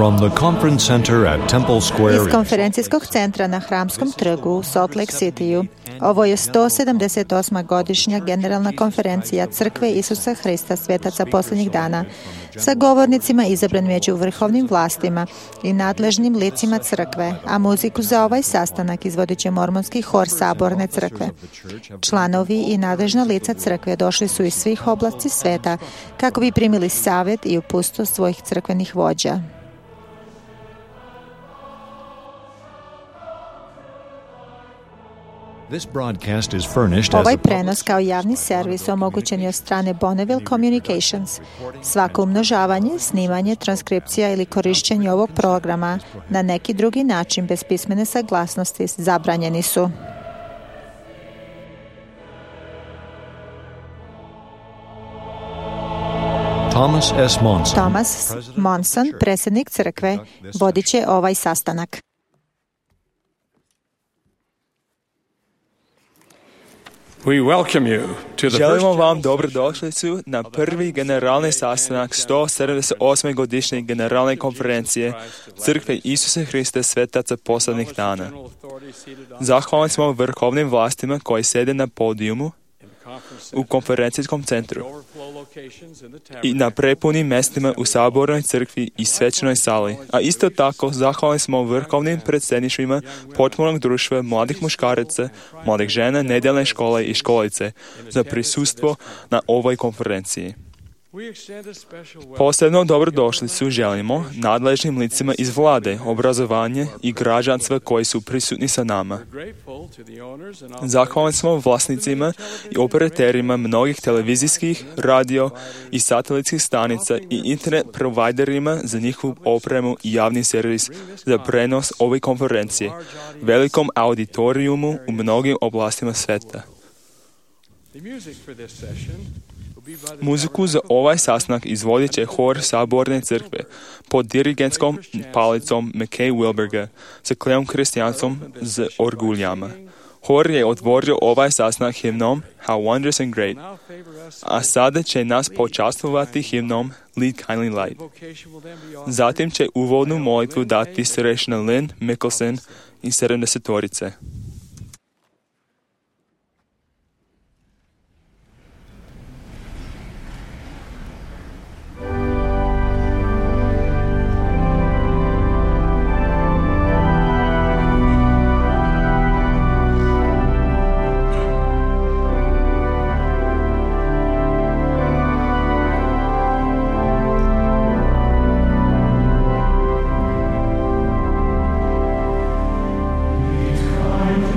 From the conference center at Temple Square Iz konferencijskog centra na Hramskom trgu u Salt Lake Cityu, ovo je 178. godišnja generalna konferencija Crkve Isusa Hrista svetaca posljednjih dana sa govornicima izabranim među vrhovnim vlastima i nadležnim licima crkve, a muziku za ovaj sastanak izvodit će mormonski hor Saborne crkve. Članovi i nadležna lica crkve došli su iz svih oblasti sveta kako bi primili savjet i uputstvo svojih crkvenih vođa. Ovaj prenos kao javni servis omogućen je od strane Bonneville Communications. Svako umnožavanje, snimanje, transkripcija ili korišćenje ovog programa na neki drugi način bez pismene saglasnosti zabranjeni su. Thomas Monson, predsjednik crkve, vodit će ovaj sastanak. Želimo vam dobrodošlicu na prvi generalni sastanak 178. godišnje generalne konferencije Crkve Isusa Hrista svetaca posljednjih dana. Zahvalni smo vrhovnim vlastima koji sjede na podijumu u konferencijskom centru i na prepunim mjestima u Sabornoj crkvi i svečanoj sali. A isto tako zahvalni smo vrhovnim predsjedništvima potpunog društva mladih muškaraca, mladih žena, nedjeljne škole i školice za prisustvo na ovoj konferenciji. Posebno dobrodošlicu želimo nadležnim licima iz vlade, obrazovanja i građanstva koji su prisutni sa nama. Zahvalni smo vlasnicima i operaterima mnogih televizijskih, radio i satelitskih stanica i internet providerima za njihovu opremu i javni servis za prenos ove konferencije, velikom auditorijumu u mnogim oblastima sveta. Muziku za ovaj sastanak izvodit će hor Saborne crkve pod dirigentskom palicom McKay Wilberga sa Kleom Kristijansom z orguljama. Hor je otvorio ovaj sastanak himnom How Wondrous and Great, a sada će nas počastvovati himnom Lead Kindly Light. Zatim će uvodnu molitvu dati starešina Lynn Mickelson i 70-torice. Kind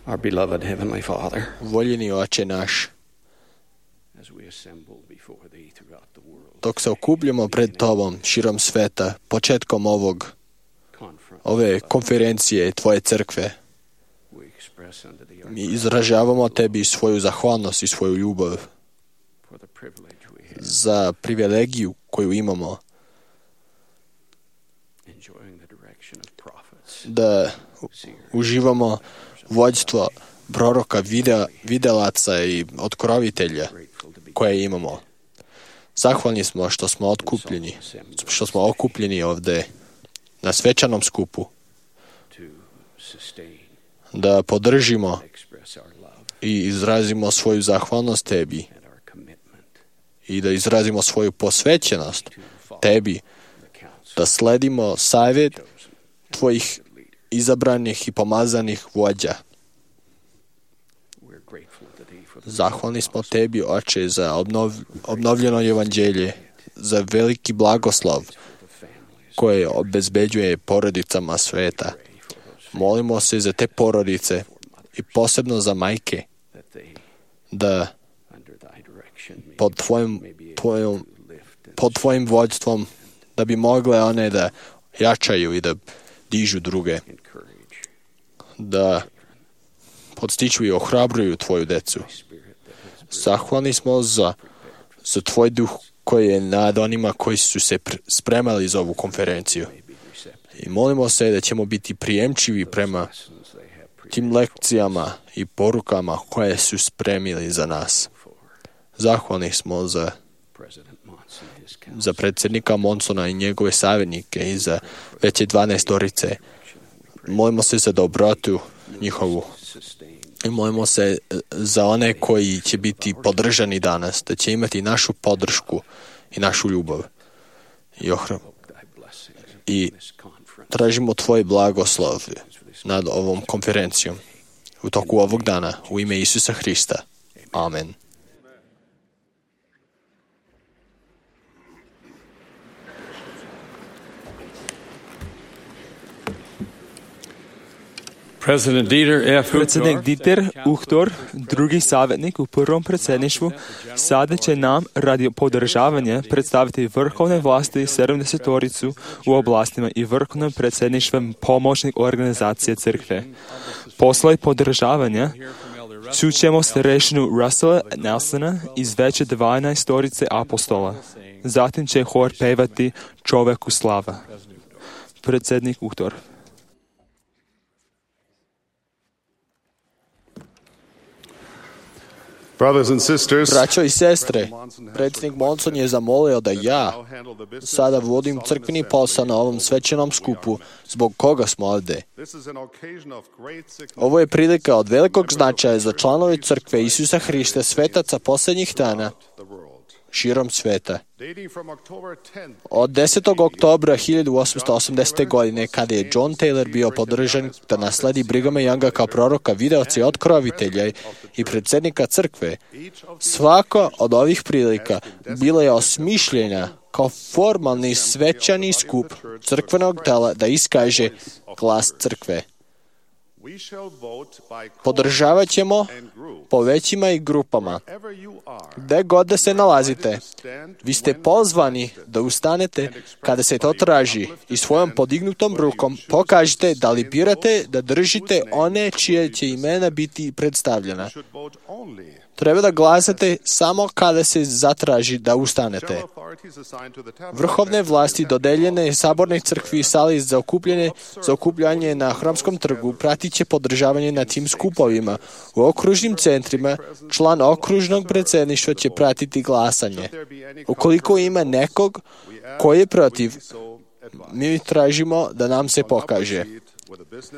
Our beloved Heavenly Father, voljeni Oče naš, as we assemble before Thee throughout the world, dok se okupljamo pred Tobom širom sveta, početkom ove konferencije Tvoje crkve, we express unto Thee our mi izražavamo Tebi svoju zahvalnost i svoju ljubav for the privilege we have za privilegiju koju imamo enjoying the direction of prophets, da uživamo vođstvo proroka, videlaca i otkrovitelja grateful to be koje imamo. Zahvalni smo što smo okupljeni ovdje na svečanom skupu, to sustain, da podržimo express our love i izrazimo svoju zahvalnost Tebi and our commitment i da izrazimo svoju posvećenost to follow Tebi, the counsel da sledimo savjet chosen Tvojih leader. izabranih i pomazanih vođa. We're grateful to Thee for the Zahvalni smo Tebi, Oče, za obnovljeno evanđelje, za veliki blagoslov for the families. koje obezbeđuje porodicama sveta. Molimo se za te porodice i posebno za majke, That they, da under Thy direction, pod Tvojim vođstvom, da bi mogle one da jačaju i da dižu druge, encourage da podstiču i ohrabruju Tvoju decu. Spirit that has Zahvalni smo za Tvoj duh koji je nad onima koji su se spremali za ovu konferenciju. may be receptive I molimo se da ćemo biti prijemčivi prema lessons they have tim lekcijama i porukama koje su spremili za nas. for Zahvalni smo za President Monson and his council. za predsjednika Monsona i njegove savjetnike i za veće 12-orice. Molimo se za dobrotu njihovu. Sustain I molimo se za one koji će biti podržani danas, da će imati našu podršku i našu ljubav. I Thy blessings I in this conference. tražimo Tvoj blagoslov nad ovom konferencijom u toku ovog dana, u ime Isusa Hrista. Amen. Predsjednik Dieter Uchtdorf, drugi savjetnik u prvom predsjedništvu, sada će nam radi podržavanja predstaviti vrhovne vlasti 70-oricu u oblastima i vrhovnom predsjedništvom pomoćnik organizacije crkve. Poslije podržavanja čućemo starešinu Russella Nelsona iz veće 12-orice apostola. Zatim će hor pevati Čovjeku slava. Predsjednik Uchtdorf. Braćo i sestre, predsjednik Monson je zamolio da ja sada vodim crkveni posao na ovom svečanom skupu zbog koga smo ovdje. Ovo je prilika od velikog značaja za članove crkve Isusa Hrista svetaca posljednjih dana širom sveta. Od 10. oktobra 1880. godine, kada je John Taylor bio podržan da nasledi Brighama Younga kao proroka, videoca i otkrovitelja i predsjednika crkve, svaka od ovih prilika bila je osmišljena kao formalni svečani skup crkvenog tela da iskaže glas crkve. Podržavat ćemo po većima i grupama. Gde god da se nalazite, vi ste pozvani da ustanete kada se to traži i svojom podignutom rukom pokažite da li birate da držite one čije će imena biti predstavljena. Treba da glasate samo kada se zatraži da ustanete. Vrhovne vlasti dodeljene sabornoj crkvi i sali za okupljanje na Hramskom trgu pratit će podržavanje na tim skupovima. U okružnim centrima član okružnog predsjedništva će pratiti glasanje. Ukoliko ima nekog koji je protiv, mi tražimo da nam se pokaže.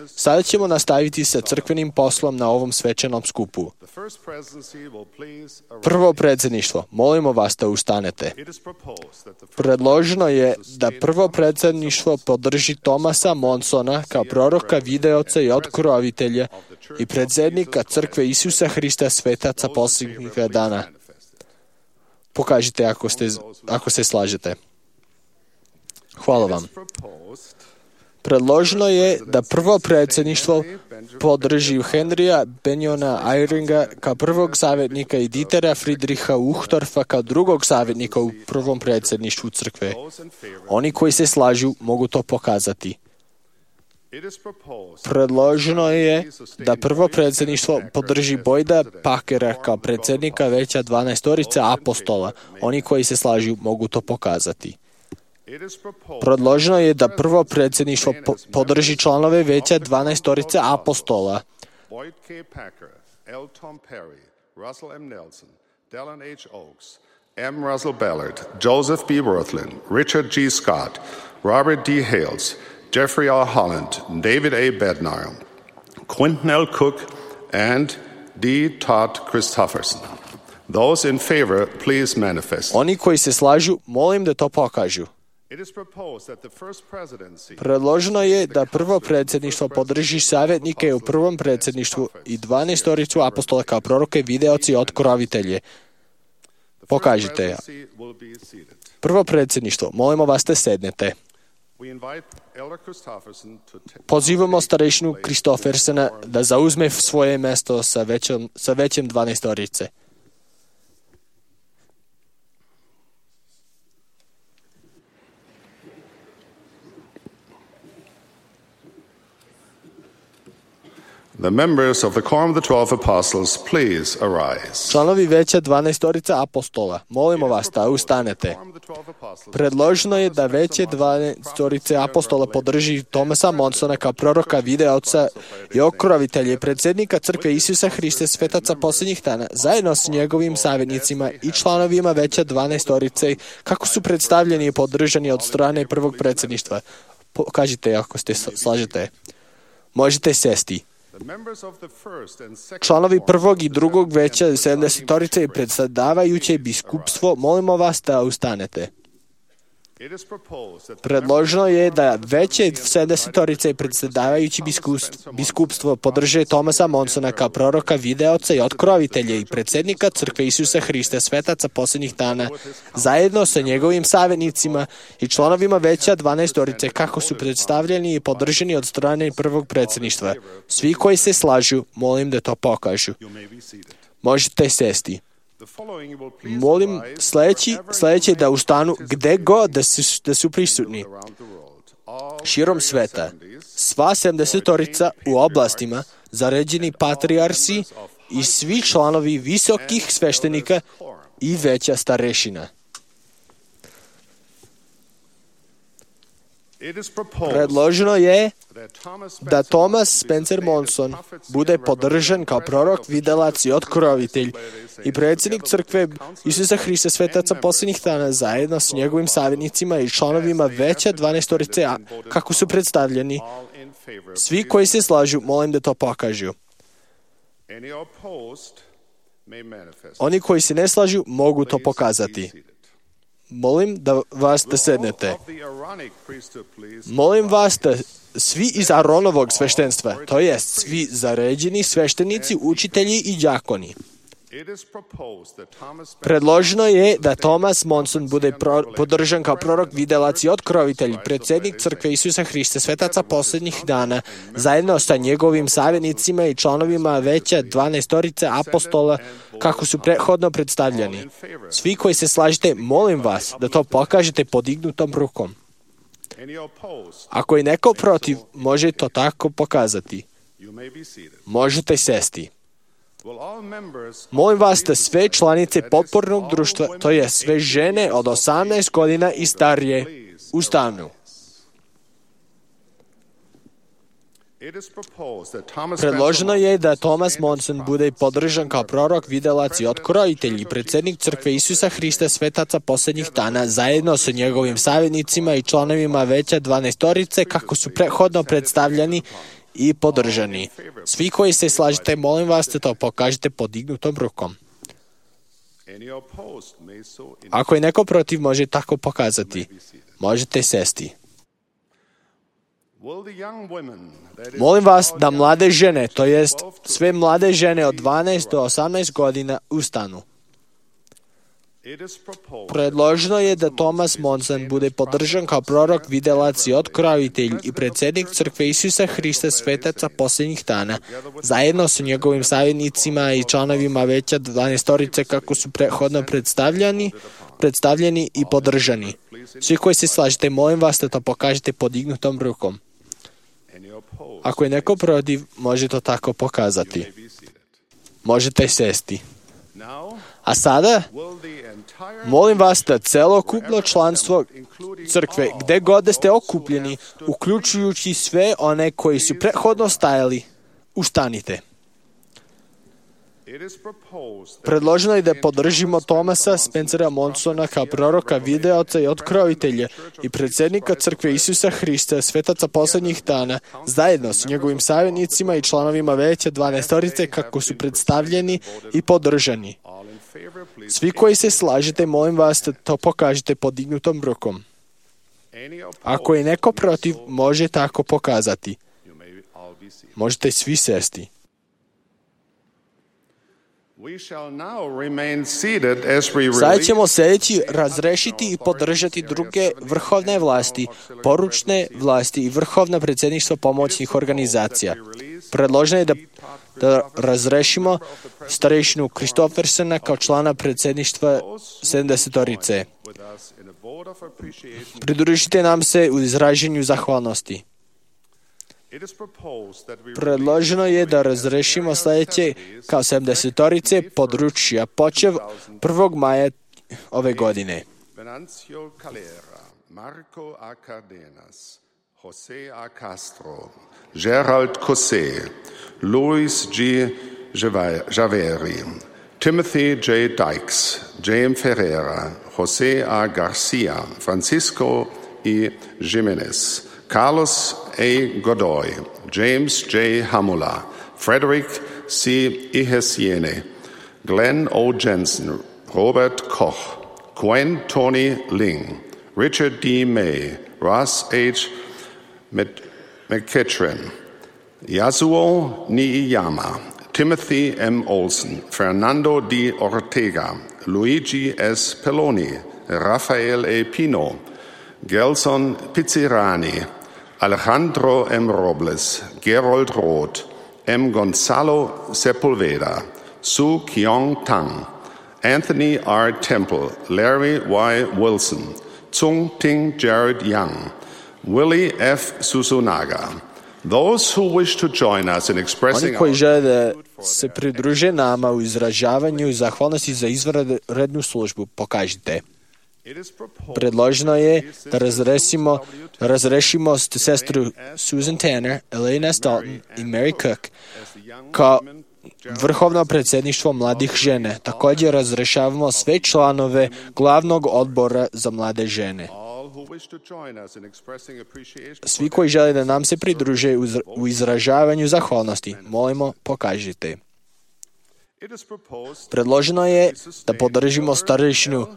Sada ćemo nastaviti sa crkvenim poslom na ovom svečanom skupu. Prvo predsjedništvo, molimo vas da ustanete. Predloženo je da prvo predsjedništvo podrži Thomasa Monsona kao proroka, videoca i otkrovitelja i predsjednika crkve Isusa Hrista svetaca posljednjih dana. Pokažite ako se slažete. Hvala vam. Predloženo je da prvo predsjedništvo podrži Henrya Benjona Eyringa kao prvog savjetnika i Dietera Friedricha Uchtdorfa kao drugog savjetnika u prvom predsjedništvu crkve. Oni koji se slažu mogu to pokazati. Predloženo je da prvo predsjedništvo podrži Boyda Packera kao predsjednika veća 12 apostola. Oni koji se slažu mogu to pokazati. Predloženo je da prvo predsjedništvo podrži članove veća 12 apostola. Boyd K. Packer, L. Tom Perry, Russell M. Nelson, Dallin H. Oaks, M. Russell Ballard, Joseph B. Worthlin, Richard G. Scott, Robert D. Hales, Jeffrey R. Holland, David A. Bednar, Quentin L. Cook, and D. Todd Christofferson. Those in favor, please manifest. Oni koji se slažu, molim da to pokažu. Predloženo je da prvo predsjedništvo podrži savjetnike u prvom predsjedništvu i 12 apostola kao proroke, videoci i otkrovitelje. Pokažite. Prvo predsjedništvo, molimo vas da sednete. Pozivamo starešinu Kristoffersona da zauzme svoje mjesto sa većem 12. The members of the Quorum of the 12 Apostles, please arise. Članovi veća 12 apostola, molimo vas da ustanete. Predloženo je da veće 12 apostola podrži Thomasa Monsona kao proroka, videoca i okrovitelje, predsjednika crkve Isusa Hrista, svetaca posljednjih dana, zajedno s njegovim savjetnicima i članovima veća 12 kako su predstavljeni i podržani od strane prvog predsjedništva. Kažite ako ste slažete. Možete sesti. Članovi prvog i drugog veća 70 i predsjedavajuće biskupstvo, molimo vas da ustanete. Predloženo je da veće 70 i predsjedavajući biskupstvo podrže Thomasa Monsona kao proroka, videoca i otkrovitelja i predsjednika crkve Isusa Hrista, svetaca posljednjih dana, zajedno sa njegovim savjetnicima i članovima veća 12 kako su predstavljeni i podržani od strane prvog predsjedništva. Svi koji se slažu, molim da to pokažu. Možete sesti. Molim sljedeći da ustanu gdje god da su prisutni. Širom sveta, sva 70 u oblastima, zaređeni patrijarsi i svi članovi visokih sveštenika i veća starešina. Predloženo je da Thomas Spencer Monson bude podržan kao prorok, videlac i otkrovitelj i predsjednik crkve Isusa Hrista, svetaca posljednjih dana, zajedno s njegovim savjetnicima i članovima veća 12 kako su predstavljeni. Svi koji se slažu, molim da to pokažu. Oni koji se ne slažu, mogu to pokazati. Molim da vas da sednete. Molim vas da svi iz Aronovog sveštenstva, to jest svi zaređeni sveštenici, učitelji i đakoni. Predloženo je da Thomas Monson bude podržan kao prorok, videlac i otkrovitelj, predsjednik crkve Isusa Hrista, svetaca posljednjih dana, zajedno sa njegovim savjetnicima i članovima veća 12 apostola, kako su prethodno predstavljeni. Svi koji se slažete, molim vas da to pokažete podignutom rukom. Ako je neko protiv, može to tako pokazati. Možete sesti. Molim vas da sve članice potpornog društva, to je sve žene od 18 godina i starije, ustanu. Predloženo je da Thomas Monson bude podržan kao prorok, videlac i otkrovitelj i predsjednik crkve Isusa Hrista, svetaca posljednjih dana, zajedno sa njegovim savjetnicima i članovima veća 12 kako su prethodno predstavljeni i podržani. Svi koji se slažete, molim vas da to pokažete podignutom rukom. Ako je neko protiv, može tako pokazati. Možete sesti. Molim vas da mlade žene, to jest sve mlade žene od 12 do 18 godina, ustanu. Predloženo je da Thomas Monson bude podržan kao prorok, videlac i otkrovitelj i predsjednik Crkve Isusa Hrista svetaca posljednjih dana, zajedno sa njegovim savjetnicima i članovima veća 12 kako su prethodno predstavljeni i podržani. Svi koji se slažete, molim vas da to pokažete podignutom rukom. Ako je neko protiv, može to tako pokazati. Možete sesti. A sada, molim vas da celokupno članstvo crkve, gde god da ste okupljeni, uključujući sve one koji su prethodno stajali, ustanite. Predloženo je da podržimo Thomasa Spencera Monsona kao proroka, videoca i otkrovitelja i predsjednika Crkve Isusa Hrista, svetaca posljednjih dana, zajedno s njegovim savjetnicima i članovima veća 12 kako su predstavljeni i podržani. Svi koji se slažete, molim vas da to pokažete podignutom rukom. Ako je neko protiv, može tako pokazati. Možete svi sesti. Sada ćemo sljedeći razrešiti i podržati druge vrhovne vlasti, poručne vlasti i vrhovna predsjedništva pomoćnih organizacija. Predloženo je da razrešimo starešinu Kristofersena kao člana predsjedništva 70-orice. Pridružite nam se u izraženju zahvalnosti. Predloženo je da razrešimo sljedeće kao 70-orice područja, počev 1. maja ove godine. Venancio Calera, Marco A. Cardenas, Jose A. Castro, Gerald Cosé, Luis G. Javeri, Timothy J. Dykes, James Ferreira, Jose A. Garcia, Francisco E. Jimenez, Carlos A. Godoy, James J. Hamula, Frederick C. Ihesiene, Glenn O. Jensen, Robert Koch, Gwen Tony Ling, Richard D. May, Ross H. McKitchen, Yasuo Niiyama, Timothy M. Olson, Fernando D. Ortega, Luigi S. Peloni, Rafael A. Pino, Gelson Pizzirani, Alejandro M. Robles, Gerold Roth, M. Gonzalo Sepulveda, Su Kyong Tang, Anthony R. Temple, Larry Y. Wilson, Tsung Ting Jared Young, Willie F. Susunaga. Those who wish to join us in expressing Oni koji žele da se pridruže nama u izražavanju zahvalnosti za izvanrednu službu, pokažite. Predloženo je da razrešimo sestru Susan Tanner, Elena Dalton i Mary Cook kao vrhovno predsjedništvo mladih žene. Također razrešavamo sve članove glavnog odbora za mlade žene. Svi koji žele da nam se pridruže u izražavanju zahvalnosti, molimo, pokažite. Predloženo je da podržimo starešinu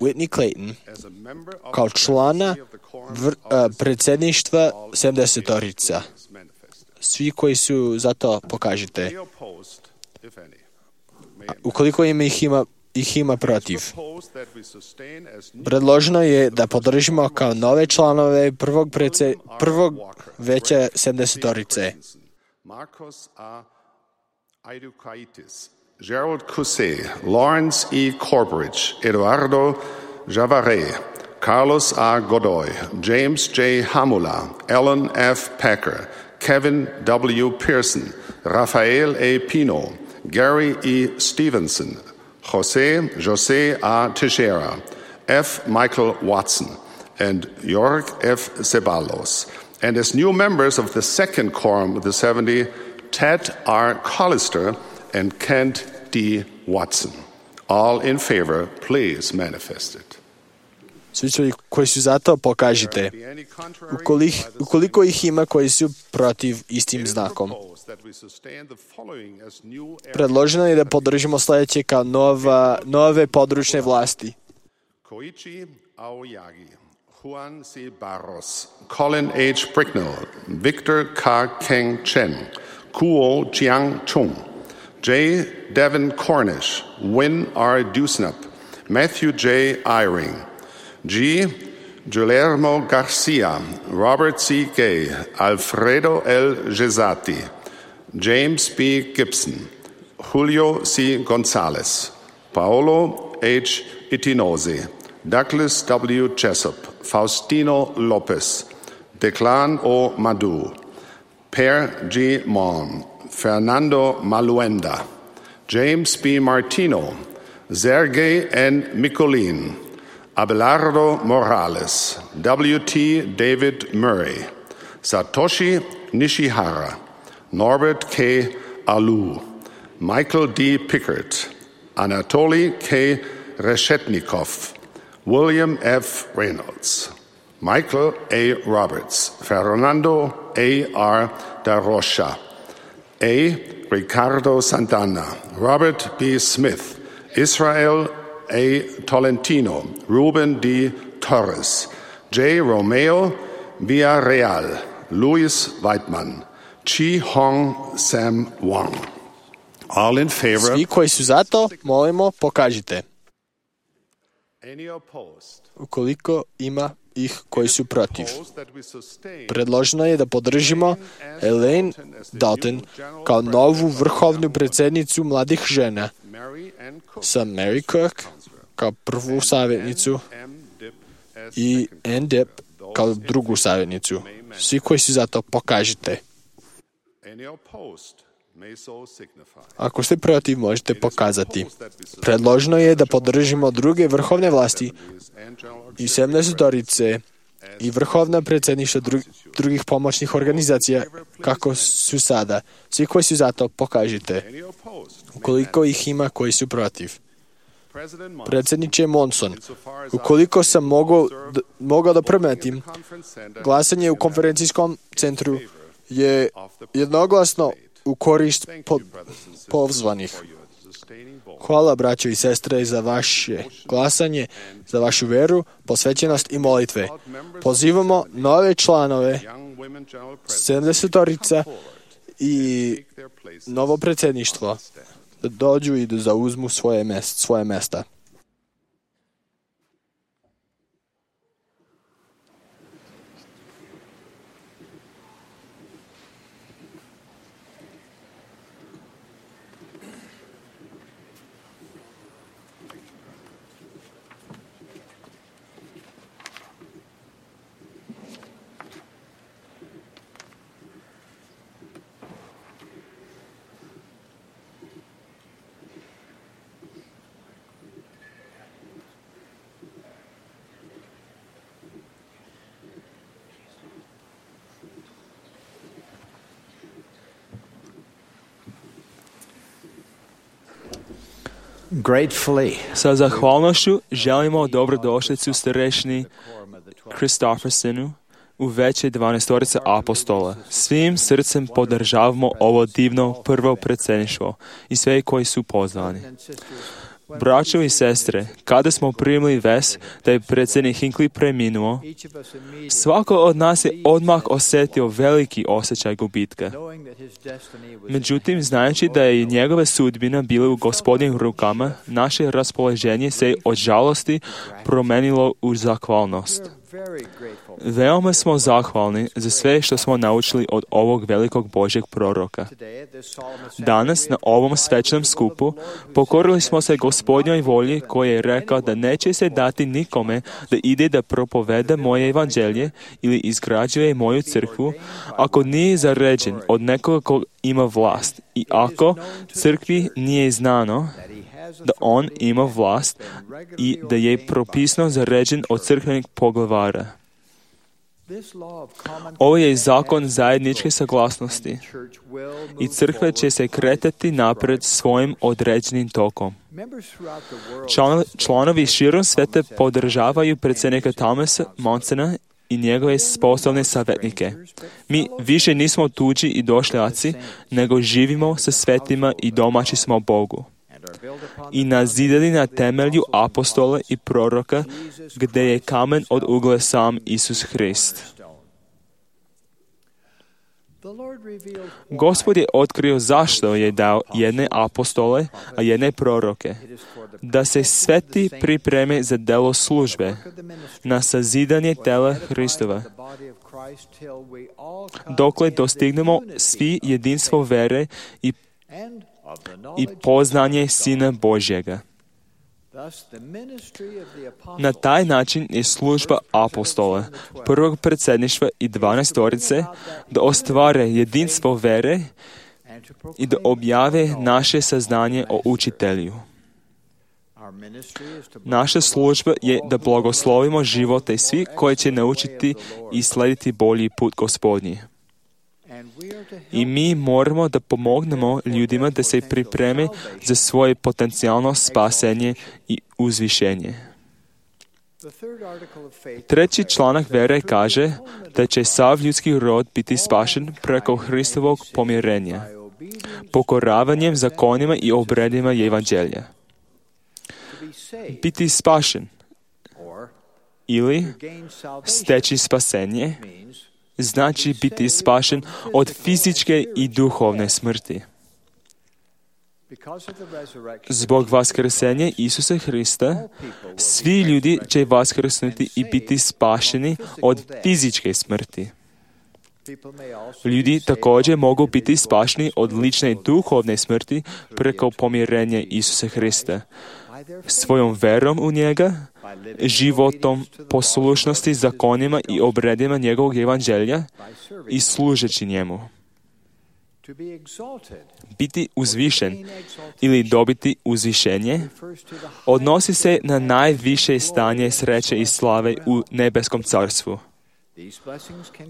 Whitney Clayton kao člana predsjedništva 70-orica. Svi koji su za to, pokažite. Ukoliko ih ima protiv. Predloženo je da podržimo kao nove članove prvog veća 70-orice. Gerald Cusé, Lawrence E. Corbridge, Eduardo Javare, Carlos A. Godoy, James J. Hamula, Alan F. Packer, Kevin W. Pearson, Rafael A. Pino, Gary E. Stevenson, Jose A. Teixeira, F. Michael Watson, and Jorg F. Ceballos. And as new members of the second quorum of the 70, Ted R. Collister and Kent D. Watson. All in favor, please manifest it. Svi koji su za to, pokažite. Ukoliko ih ima koji su protiv, istim znakom. Predloženo je da podržimo sljedeće kao nove područne vlasti. Koichi Aoyagi, Juan C. Barros, Colin H. Bricknell, Victor K. Keng Chen, Kuo Jiang Chung, J. Devin Cornish, Win R. Dusnap, Matthew J. Eyring. G. Guillermo Garcia, Robert C. Gay, Alfredo L. Gesati, James B. Gibson, Julio C. Gonzalez, Paolo H. Itinose, Douglas W. Jessup, Faustino Lopez, Declan O. Madu, Per G. Mon, Fernando Maluenda, James B. Martino, Sergei N. Mikulin, Abelardo Morales, W.T. David Murray, Satoshi Nishihara, Norbert K. Alou, Michael D. Pickert, Anatoly K. Reshetnikov, William F. Reynolds, Michael A. Roberts, Fernando A. R. Da Rocha, A. Ricardo Santana, Robert B. Smith, Israel A. Tolentino, Ruben D. Torres, J. Romeo Villarreal, Louis Weidman, Chi Hong Sam Wang. All in favor. Svi koji su za to, molimo, pokažite. Any opposed? Ukoliko ima ih koji su protiv. Predloženo je da podržimo Elaine Dalton kao novu vrhovnu predsjednicu mladih žena, sa Mary Cook kao prvu savjetnicu i Ann Dip kao drugu savjetnicu. Svi koji su za to, pokažite. Ako ste protiv, možete pokazati. Predloženo je da podržimo druge vrhovne vlasti i 70-torice i vrhovna predsjedništva drugih pomoćnih organizacija kako su sada. Svi koji su za to, pokažite. Ukoliko ih ima koji su protiv. Predsjedniče Monson, ukoliko sam mogao da primetim, glasanje u konferencijskom centru je jednoglasno u korist pozvanih. Hvala, braćo i sestre, za vaše glasanje, za vašu veru, posvećenost i molitve. Pozivamo nove članove, 70-torica i novo predsjedništvo da dođu i da zauzmu svoje mesta. Sa zahvalnošću želimo dobrodošlicu starešini Kristoffersonu u veće 12 apostola. Svim srcem podržavamo ovo divno prvo predsjedništvo i sve koji su pozvani. Braćo i sestre, kada smo primili vest da je predsjednik Hinckley preminuo, svako od nas je odmah osjetio veliki osjećaj gubitka. Međutim, znajući da je njegova sudbina bila u Gospodnjim rukama, naše raspoloženje se od žalosti promenilo u zahvalnost. Veoma smo zahvalni za sve što smo naučili od ovog velikog Božjeg proroka. Danas na ovom svečanom skupu pokorili smo se Gospodnjoj volji koji je rekao da neće se dati nikome da ide da propoveda moje evanđelje ili izgrađuje moju crkvu ako nije zaređen od nekoga ko ima vlast i ako crkvi nije znano da on ima vlast i da je propisno zaređen od crkvenih poglavara. Ovo je zakon zajedničke saglasnosti i crkva će se kretati napred svojim određenim tokom. Članovi širom sveta podržavaju predsjednika Thomasa Monsona i njegove sposobne savjetnike. Mi više nismo tuđi i došljaci, nego živimo sa svetima i domaći smo Bogu. I nazidali na temelju apostola i proroka, gdje je kamen od ugle sam Isus Hrist. Gospod je otkrio zašto je dao jedne apostole, a jedne proroke, da se sveti pripreme za delo službe, na sazidanje tela Hristova, dokle dostignemo svi jedinstvo vere i poznanje Sina Božjega. Na taj način je služba apostola, prvog predsjedništva i 12 da ostvare jedinstvo vere i da objave naše saznanje o učitelju. Naša služba je da blagoslovimo živote svi koji će naučiti i slediti bolji put Gospodnji. I mi moramo da pomognemo ljudima da se pripreme za svoje potencijalno spasenje i uzvišenje. Treći članak vere kaže da će sav ljudski rod biti spašen preko Hristovog pomirenja, pokoravanjem zakonima i obredima evanđelja. Biti spašen ili steći spasenje znači biti spašen od fizičke i duhovne smrti. Zbog vaskrsenja Isusa Hrista, svi ljudi će vaskrsnuti i biti spašeni od fizičke smrti. Ljudi također mogu biti spašeni od lične duhovne smrti preko pomirenja Isusa Hrista, svojom verom u njega, životom poslušnosti zakonima i obredima njegovog evanđelja i služeći njemu. Biti uzvišen ili dobiti uzvišenje odnosi se na najviše stanje sreće i slave u nebeskom carstvu.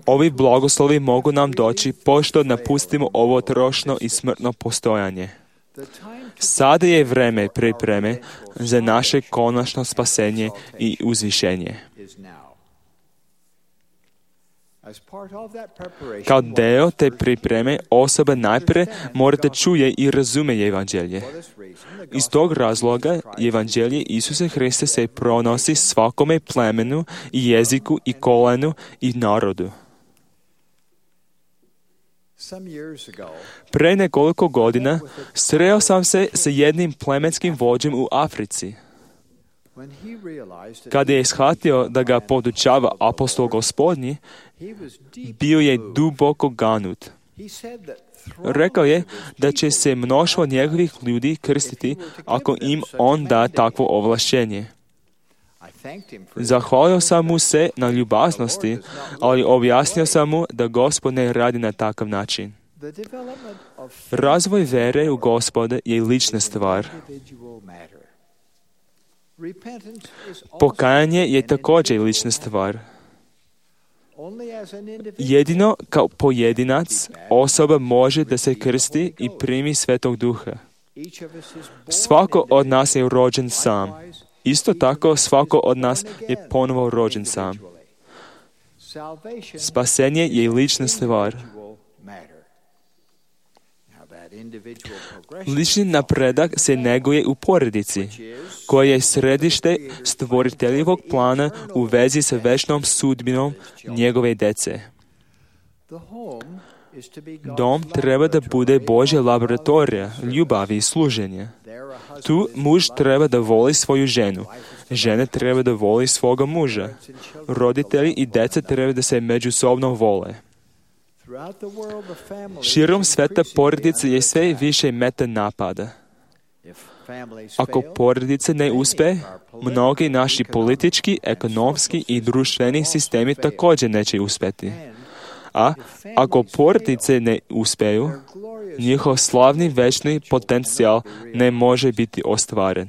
Ovi blagoslovi mogu nam doći pošto napustimo ovo trošno i smrtno postojanje. Sada je vreme pripreme za naše konačno spasenje i uzvišenje. Kao deo te pripreme osoba najprije mora da čuje i razume evanđelje. Iz tog razloga evanđelje Isusa Hrista se pronosi svakome plemenu i jeziku i kolenu i narodu. Pre nekoliko godina sreo sam se sa jednim plemenskim vođem u Africi. Kada je shvatio da ga podučava apostol Gospodnji, bio je duboko ganut. Rekao je da će se mnoštvo njegovih ljudi krstiti ako im on da takvo ovlašćenje. Zahvalio sam mu se na ljubaznosti, ali objasnio sam mu da Gospod ne radi na takav način. Razvoj vere u Gospoda je lična stvar. Pokajanje je također lična stvar. Jedino kao pojedinac osoba može da se krsti i primi Svetog Duha. Svako od nas je rođen sam. Isto tako svako od nas je ponovo rođen sam. Spasenje je lična stvar. Lični napredak se neguje u porodici, koja je središte stvoriteljivog plana u vezi sa večnom sudbinom njegove dece. Dom treba da bude Božja laboratorija, ljubavi i služenja. Tu muž treba da voli svoju ženu, žena treba da voli svoga muža, roditelji i deca treba da se međusobno vole. Širom sveta porodica je sve više meta napada. Ako porodice ne uspe, mnogi naši politički, ekonomski i društveni sistemi također neće uspjeti. A ako porodice ne uspeju, njihov slavni večni potencijal ne može biti ostvaren.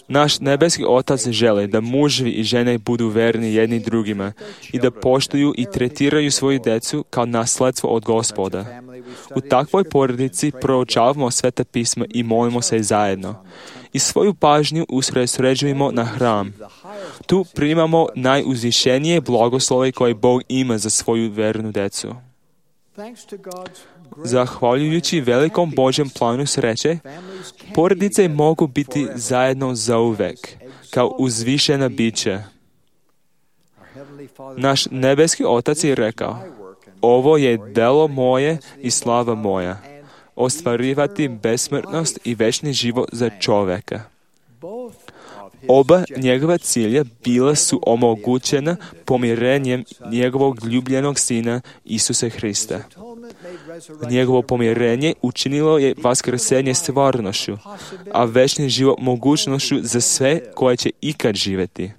Naš nebeski Otac želi da muževi i žene budu verni jedni drugima i da poštuju i tretiraju svoju decu kao nasledstvo od Gospoda. U takvoj porodici proučavamo Sveta pisma i molimo se zajedno. I svoju pažnju usredsređujemo na hram. Tu primamo najuzvišenije blagoslove koje Bog ima za svoju vernu decu. Zahvaljujući velikom Božjem planu sreće, porodice mogu biti zajedno zauvek, kao uzvišena bića. Naš nebeski Otac je rekao, ovo je delo moje i slava moja, ostvarivati besmrtnost i večni život za čovjeka. Oba njegova cilja bila su omogućena pomirenjem njegovog ljubljenog sina Isusa Hrista. Njegovo pomirenje učinilo je vaskrsenje stvarnošću, a večni život mogućnošću za sve koje će ikad živjeti.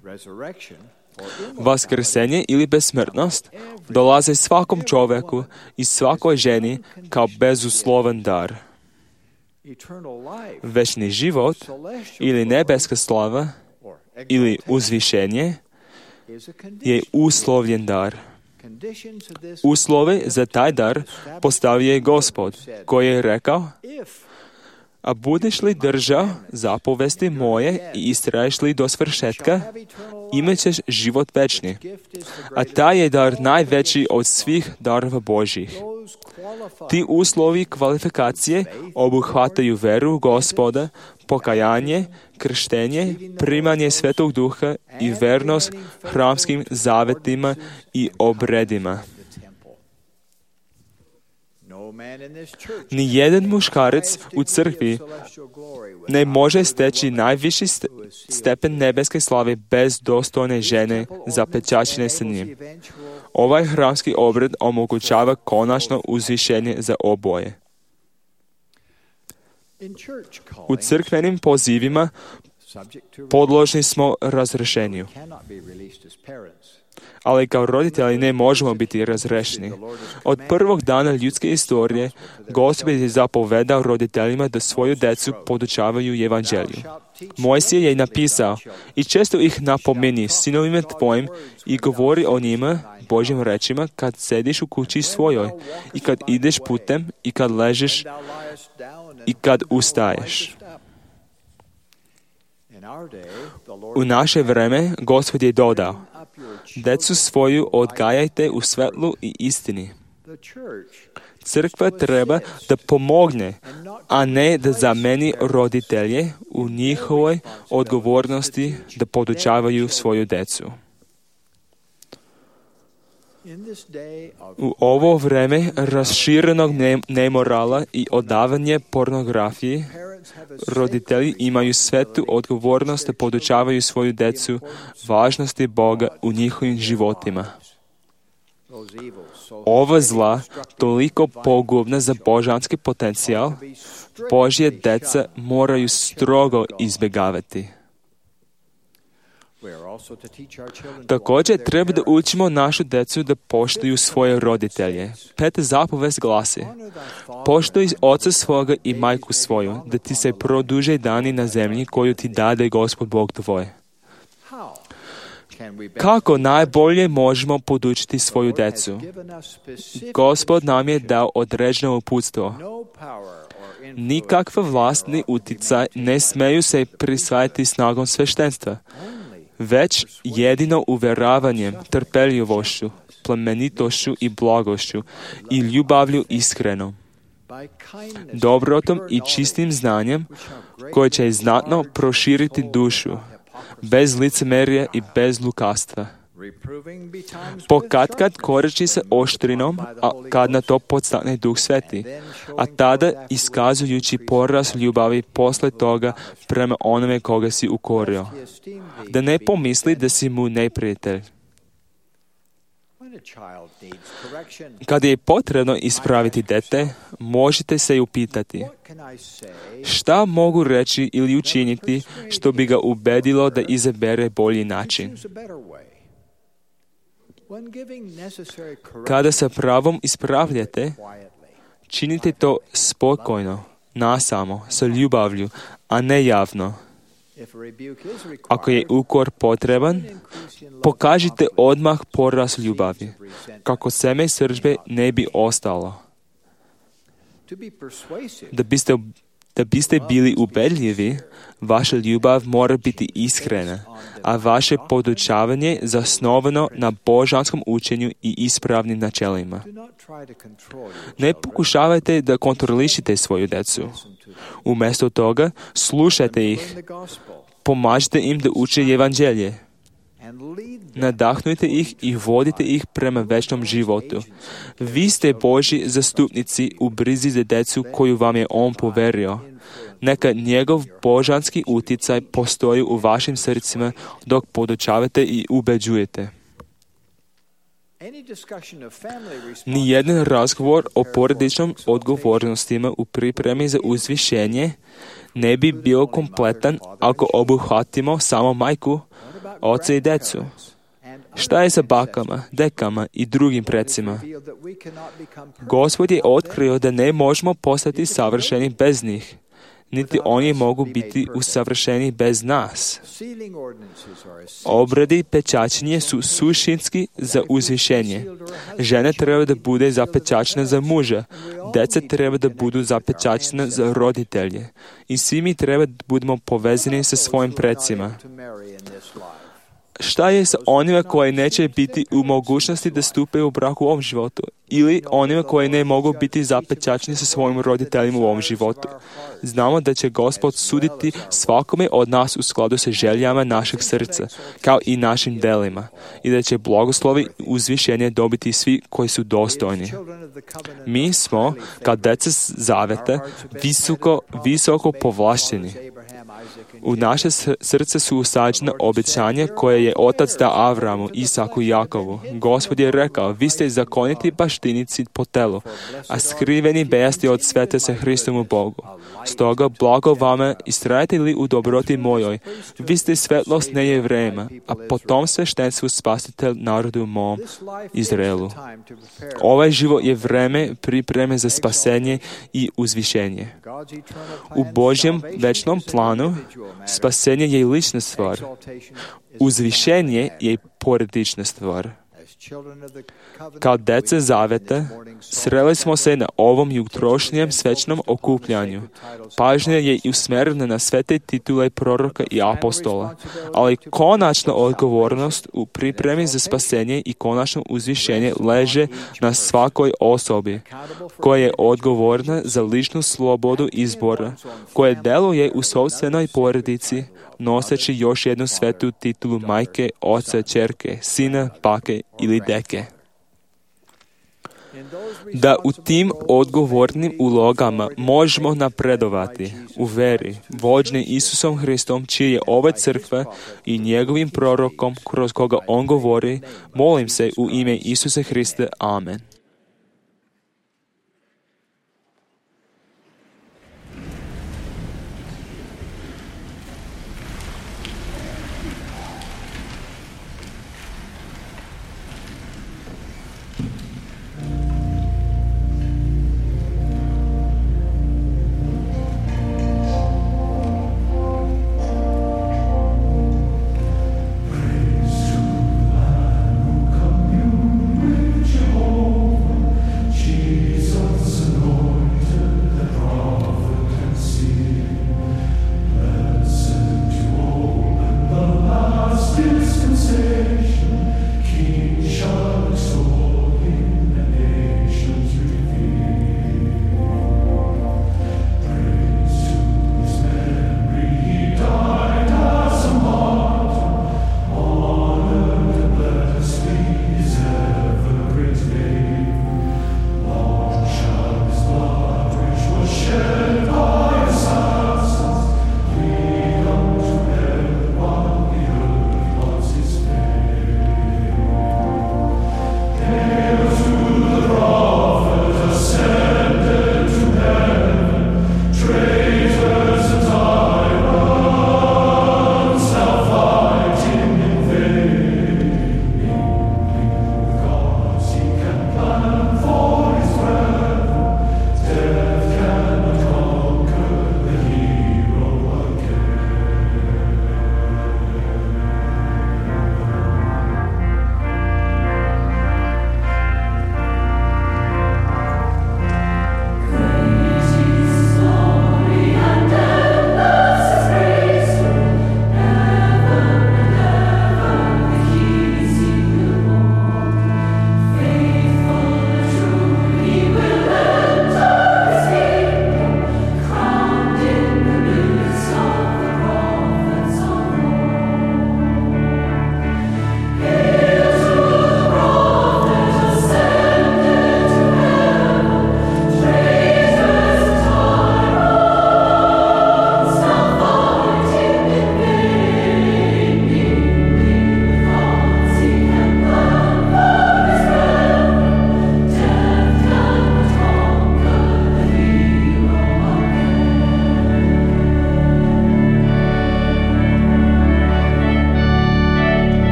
Vaskrsenje ili besmrtnost dolaze svakom čovjeku i svakoj ženi kao bezuslovan dar. Večni život ili nebeska slava ili uzvišenje je uslovljen dar. Uslove za taj dar postavio je Gospod, koji je rekao: a budeš li držao zapovesti moje i istraješ li do svršetka, imat ćeš život večni. A taj je dar najveći od svih darova Božjih. Ti uslovi kvalifikacije obuhvataju veru Gospoda, pokajanje, krštenje, primanje Svetog Duha i vernost hramskim zavetima i obredima. Nijedan muškarac u crkvi ne može steći najviši stepen nebeske slave bez dostojne žene zapečaćene sa njim. Ovaj hramski obred omogućava konačno uzvišenje za oboje. U crkvenim pozivima podložni smo razrješenju, ali kao roditelji ne možemo biti razrešeni. Od prvog dana ljudske istorije Gospod je zapovedao roditeljima da svoju djecu podučavaju evanđelju. Mojsije je napisao: i često ih napomeni sinovima tvojim i govori o njima Božjim rečima kad sediš u kući svojoj i kad ideš putem i kad ležiš i kad ustaješ. U naše vreme Gospod je dodao: djecu svoju odgajajte u svetlu i istini. Crkva treba da pomogne, a ne da zameni roditelje u njihovoj odgovornosti da podučavaju svoju djecu. U ovo vreme raširenog nemorala i odavanje pornografiji, roditelji imaju svetu odgovornost da podučavaju svoju djecu važnosti Boga u njihovim životima. Ova zla, toliko pogubna za božanski potencijal, Božje djeca moraju strogo izbjegavati. Također treba da učimo našu djecu da poštuju svoje roditelje. 5. zapovest glasi: poštuj oca svoga i majku svoju, da ti se produže dani na zemlji koju ti dade Gospod Bog tvoj. Kako najbolje možemo podučiti svoju djecu? Gospod nam je dao određeno uputstvo. Nikakva vlast ni uticaj ne smeju se prisvajati snagom sveštenstva, već jedino uvjeravanjem, trpeljivošću, plemenitošću i blagošću i ljubavlju iskrenom, dobrotom i čistim znanjem koje će znatno proširiti dušu, bez licemerja i bez lukastva. Pokatkad koreči se oštrinom, a kad na to podstakne Duh Sveti, a tada iskazujući porast ljubavi posle toga prema onome koga si ukorio, da ne pomisli da si mu neprijatelj. Kada je potrebno ispraviti dete, možete se upitati: šta mogu reći ili učiniti što bi ga ubedilo da izabere bolji način? Kada sa pravom ispravljate, činite to spokojno, nasamo, sa ljubavlju, a ne javno. Ako je ukor potreban, pokažite odmah porast ljubavi, kako seme srdžbe ne bi ostalo. Da biste bili ubedljivi, vaša ljubav mora biti iskrena, a vaše podučavanje zasnovano na božanskom učenju i ispravnim načelima. Ne pokušavajte da kontrolišite svoju djecu. Umjesto toga, slušajte ih, pomažite im da uče evanđelje Nadahnujte ih i vodite ih prema večnom životu. Vi ste Božji zastupnici u brizi za djecu koju vam je On poverio. Neka njegov božanski utjecaj postoji u vašim srcima dok podučavate i ubeđujete. Nijedan razgovor o porodičnom odgovornostima u pripremi za uzvišenje ne bi bio kompletan ako obuhvatimo samo majku, oca i djecu. Šta je sa bakama, dekama i drugim precima? Gospod je otkrio da ne možemo postati savršeni bez njih, niti oni mogu biti usavršeni bez nas. Obradi pečaćenje su suštinski za uzvišenje. Žena treba da bude zapečaćena za muža, djeca treba da budu zapečaćena za roditelje. I svi mi treba da budemo povezani sa svojim precima. Šta je sa onima koji neće biti u mogućnosti da stupe u brak u ovom životu? Ili onima koji ne mogu biti zapečaćeni sa svojim roditeljima u ovom životu? Znamo da će Gospod suditi svakome od nas u skladu sa željama našeg srca, kao i našim delima, i da će blagoslovi uzvišenje dobiti svi koji su dostojni. Mi smo, kao djeca zaveta, visoko povlašteni. U naše srce su usađena obećanja koje je Otac dao Avramu, Isaku i Jakovu. Gospod je rekao, vi ste zakoniti baštinici po telu, a skriveni bejasti od sveta sa Hristom u Bogu. Stoga, blago vama, istrajete li u dobroti mojoj, vi ste svetlost nejevrejima, a potom sveštenstvu spasitelj narodu mom, Izraelu. Ovaj život je vreme pripreme za spasenje i uzvišenje. U Božjem večnom planu spasenje je lična stvar. Uzvišenje je porodična stvar. Kao djeca zaveta, sreli smo se na ovom jutrošnjem svečnom okupljanju. Pažnja je usmjerena na sve te titule proroka i apostola, ali konačna odgovornost u pripremi za spasenje i konačno uzvišenje leže na svakoj osobi, koja je odgovorna za ličnu slobodu izbora, koja deluje u sopstvenoj porodici, noseći još jednu svetu titulu majke, oca, ćerke, sina, bake ili deke. Da u tim odgovornim ulogama možemo napredovati u veri, vođeni Isusom Hristom, čiji je ova crkva i njegovim prorokom kroz koga on govori, molim se u ime Isusa Hrista. Amen. Praise to the Lamb who communed with Jehovah.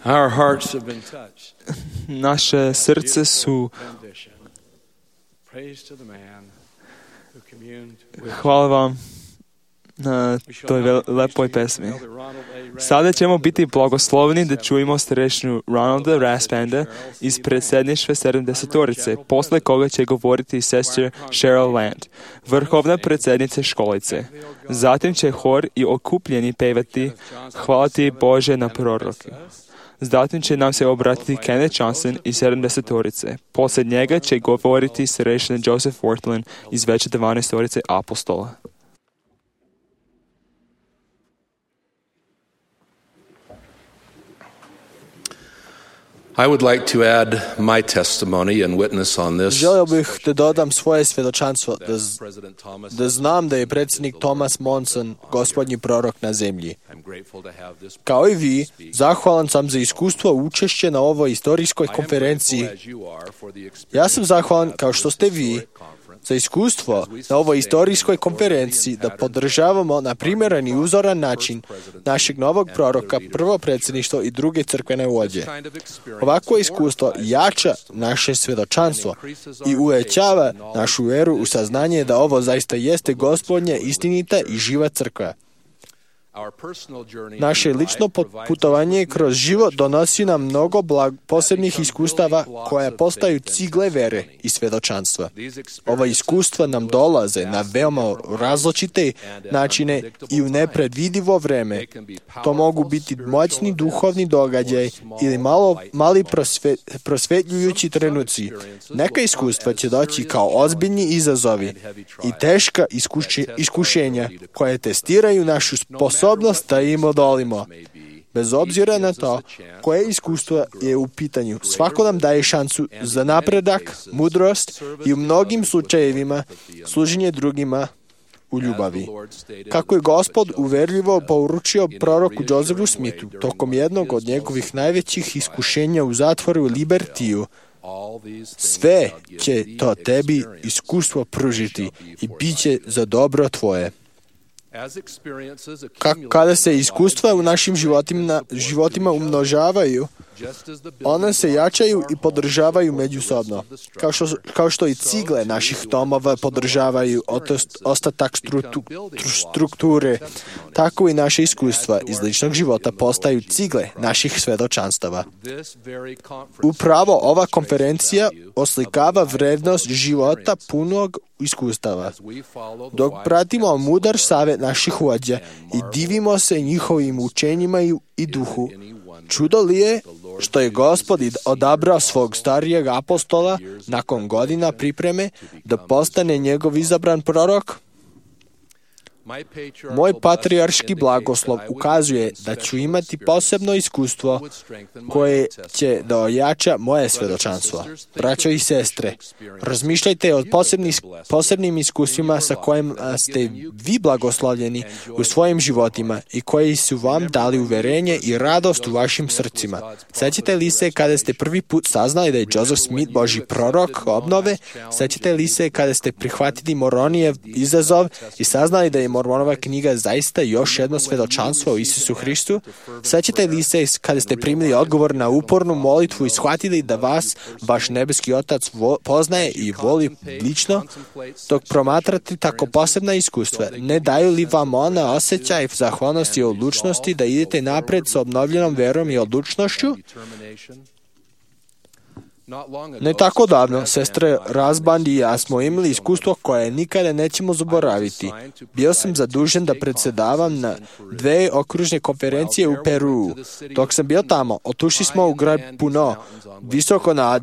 Our hearts have been touched. Naše srce su... Praise to the man who communed with Hvala vam na toj lepoj pesmi. Sada ćemo biti blagosloveni da čujemo starešinu Ronalda Raspanda iz predsjedništva 70-orice, posle koga će govoriti sestra Cheryl Land, vrhovna predsjednica školice. Zatim će hor i okupljeni pevati Hvala ti Bože na proroke. Zatim će nam se obratiti Kenneth Johnson iz 70-orice. Poslije njega će govoriti starešina Joseph Worthland iz veće 12-orice apostola. I would like to add my testimony and witness on this. Želio bih da dodam svoje svjedočanstvo, da znam da je predsjednik Thomas Monson gospodnji prorok na zemlji. Kao i vi, zahvalan sam za iskustvo učešće na ovoj istorijskoj konferenciji. Ja sam zahvalan, kao što ste vi, za iskustvo na ovoj istorijskoj konferenciji da podržavamo na primjeren i uzoran način našeg novog proroka, prvo predsjedništvo i druge crkvene vođe. Ovakvo iskustvo jača naše svjedočanstvo i uvećava našu vjeru u saznanje da ovo zaista jeste Gospodnja, istinita i živa crkva. Naše lično putovanje kroz život donosi nam mnogo posebnih iskustava koja postaju cigle vere i svjedočanstva. Ova iskustva nam dolaze na veoma različite načine i u nepredvidivo vreme. To mogu biti moćni duhovni događaj ili mali prosvetljujući trenuci. Neka iskustva će doći kao ozbiljni izazovi i teška iskušenja koje testiraju našu sposobnost da im odolimo. Bez obzira na to koje iskustvo je u pitanju, svako nam daje šansu za napredak, mudrost i u mnogim slučajevima služenje drugima u ljubavi. Kako je Gospod uverljivo poručio proroku Josephu Smithu tokom jednog od njegovih najvećih iskušenja u zatvoru Libertiju, sve će to tebi iskustvo pružiti i bit će za dobro tvoje. Kada se iskustva u našim životima umnožavaju, one se jačaju i podržavaju međusobno. Kao što i cigle naših domova podržavaju ostatak strukture, tako i naše iskustva iz ličnog života postaju cigle naših svjedočanstava. Upravo ova konferencija oslikava vrednost života punog iskustava. Dok pratimo mudar savjet naših vođa i divimo se njihovim učenjima i duhu, čudo li je što je Gospod odabrao svog starijeg apostola nakon godina pripreme da postane njegov izabran prorok? Moj patrijarški blagoslov ukazuje da ću imati posebno iskustvo koje će da ojača moje svjedočanstvo. Braćo i sestre, razmišljajte o posebnim iskustvima sa kojima ste vi blagoslovljeni u svojim životima i koji su vam dali uverenje i radost u vašim srcima. Sjećate li se kada ste prvi put saznali da je Joseph Smith Božji prorok obnove? Sjećate li se kada ste prihvatili Moronijev izazov i saznali da je Mormonova knjiga zaista još jedno svjedočanstvo o Isusu Hristu? Sjećate li se kada ste primili odgovor na upornu molitvu i shvatili da vas vaš nebeski Otac poznaje i voli lično? Dok promatrate tako posebna iskustva, ne daju li vam ona osjećaj zahvalnosti i odlučnosti da idete napred sa obnovljenom verom i odlučnošću? Ne tako davno, sestre Razband i ja smo imali iskustvo koje nikada nećemo zaboraviti. Bio sam zadužen da predsjedavam na 2 okružne konferencije u Peruu. Dok sam bio tamo, otišli smo u grad Puno, visoko na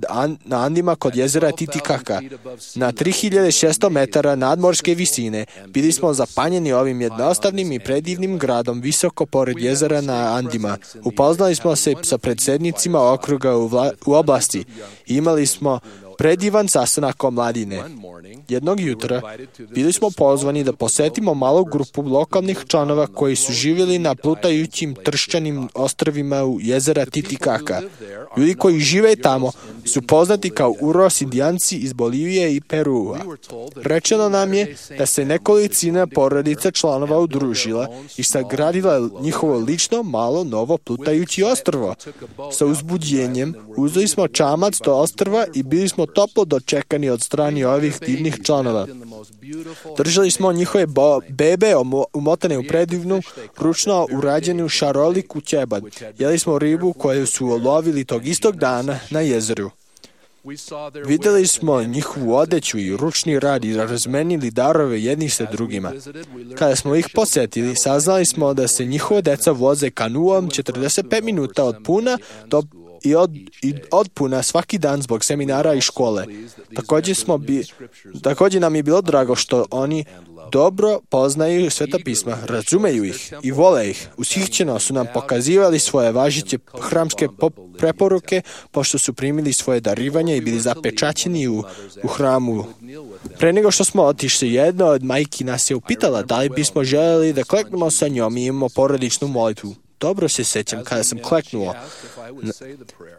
Andima kod jezera Titicaka. Na 3600 metara nadmorske visine bili smo zapanjeni ovim jednostavnim i predivnim gradom visoko pored jezera na Andima. Upoznali smo se sa predsjednicima okruga u oblasti. Imali smo predivan sastanak omladine. Jednog jutra bili smo pozvani da posetimo malu grupu lokalnih članova koji su živjeli na plutajućim tršćanim ostrvima u jezera Titicacá. Ljudi koji žive tamo su poznati kao Uros Indijanci iz Bolivije i Perua. Rečeno nam je da se nekolicina porodica članova udružila i sagradila njihovo lično malo novo plutajući ostrvo. Sa uzbuđenjem uzeli smo čamac do ostrva i bili smo toplo dočekani od strane ovih divnih članova. Držali smo njihove bebe umotane u predivnu, ručno urađenu šaroliku ćebad. Jeli smo ribu koju su ulovili tog istog dana na jezeru. Vidjeli smo njihovu odeću i ručni rad i razmenili darove jednih sa drugima. Kada smo ih posetili, saznali smo da se njihova deca voze kanuom 45 minuta od Puna od Puna svaki dan zbog seminara i škole. Također nam je bilo drago što oni dobro poznaju Sveta pisma, razumeju ih i vole ih. Ushićeno su nam pokazivali svoje važeće hramske preporuke, pošto su primili svoje darivanje i bili zapečaćeni u hramu. Pre nego što smo otišli, jedna od majki nas je upitala da li bismo željeli da kleknemo sa njom i imamo porodičnu molitvu. Dobro se sjećam kada sam kleknuo.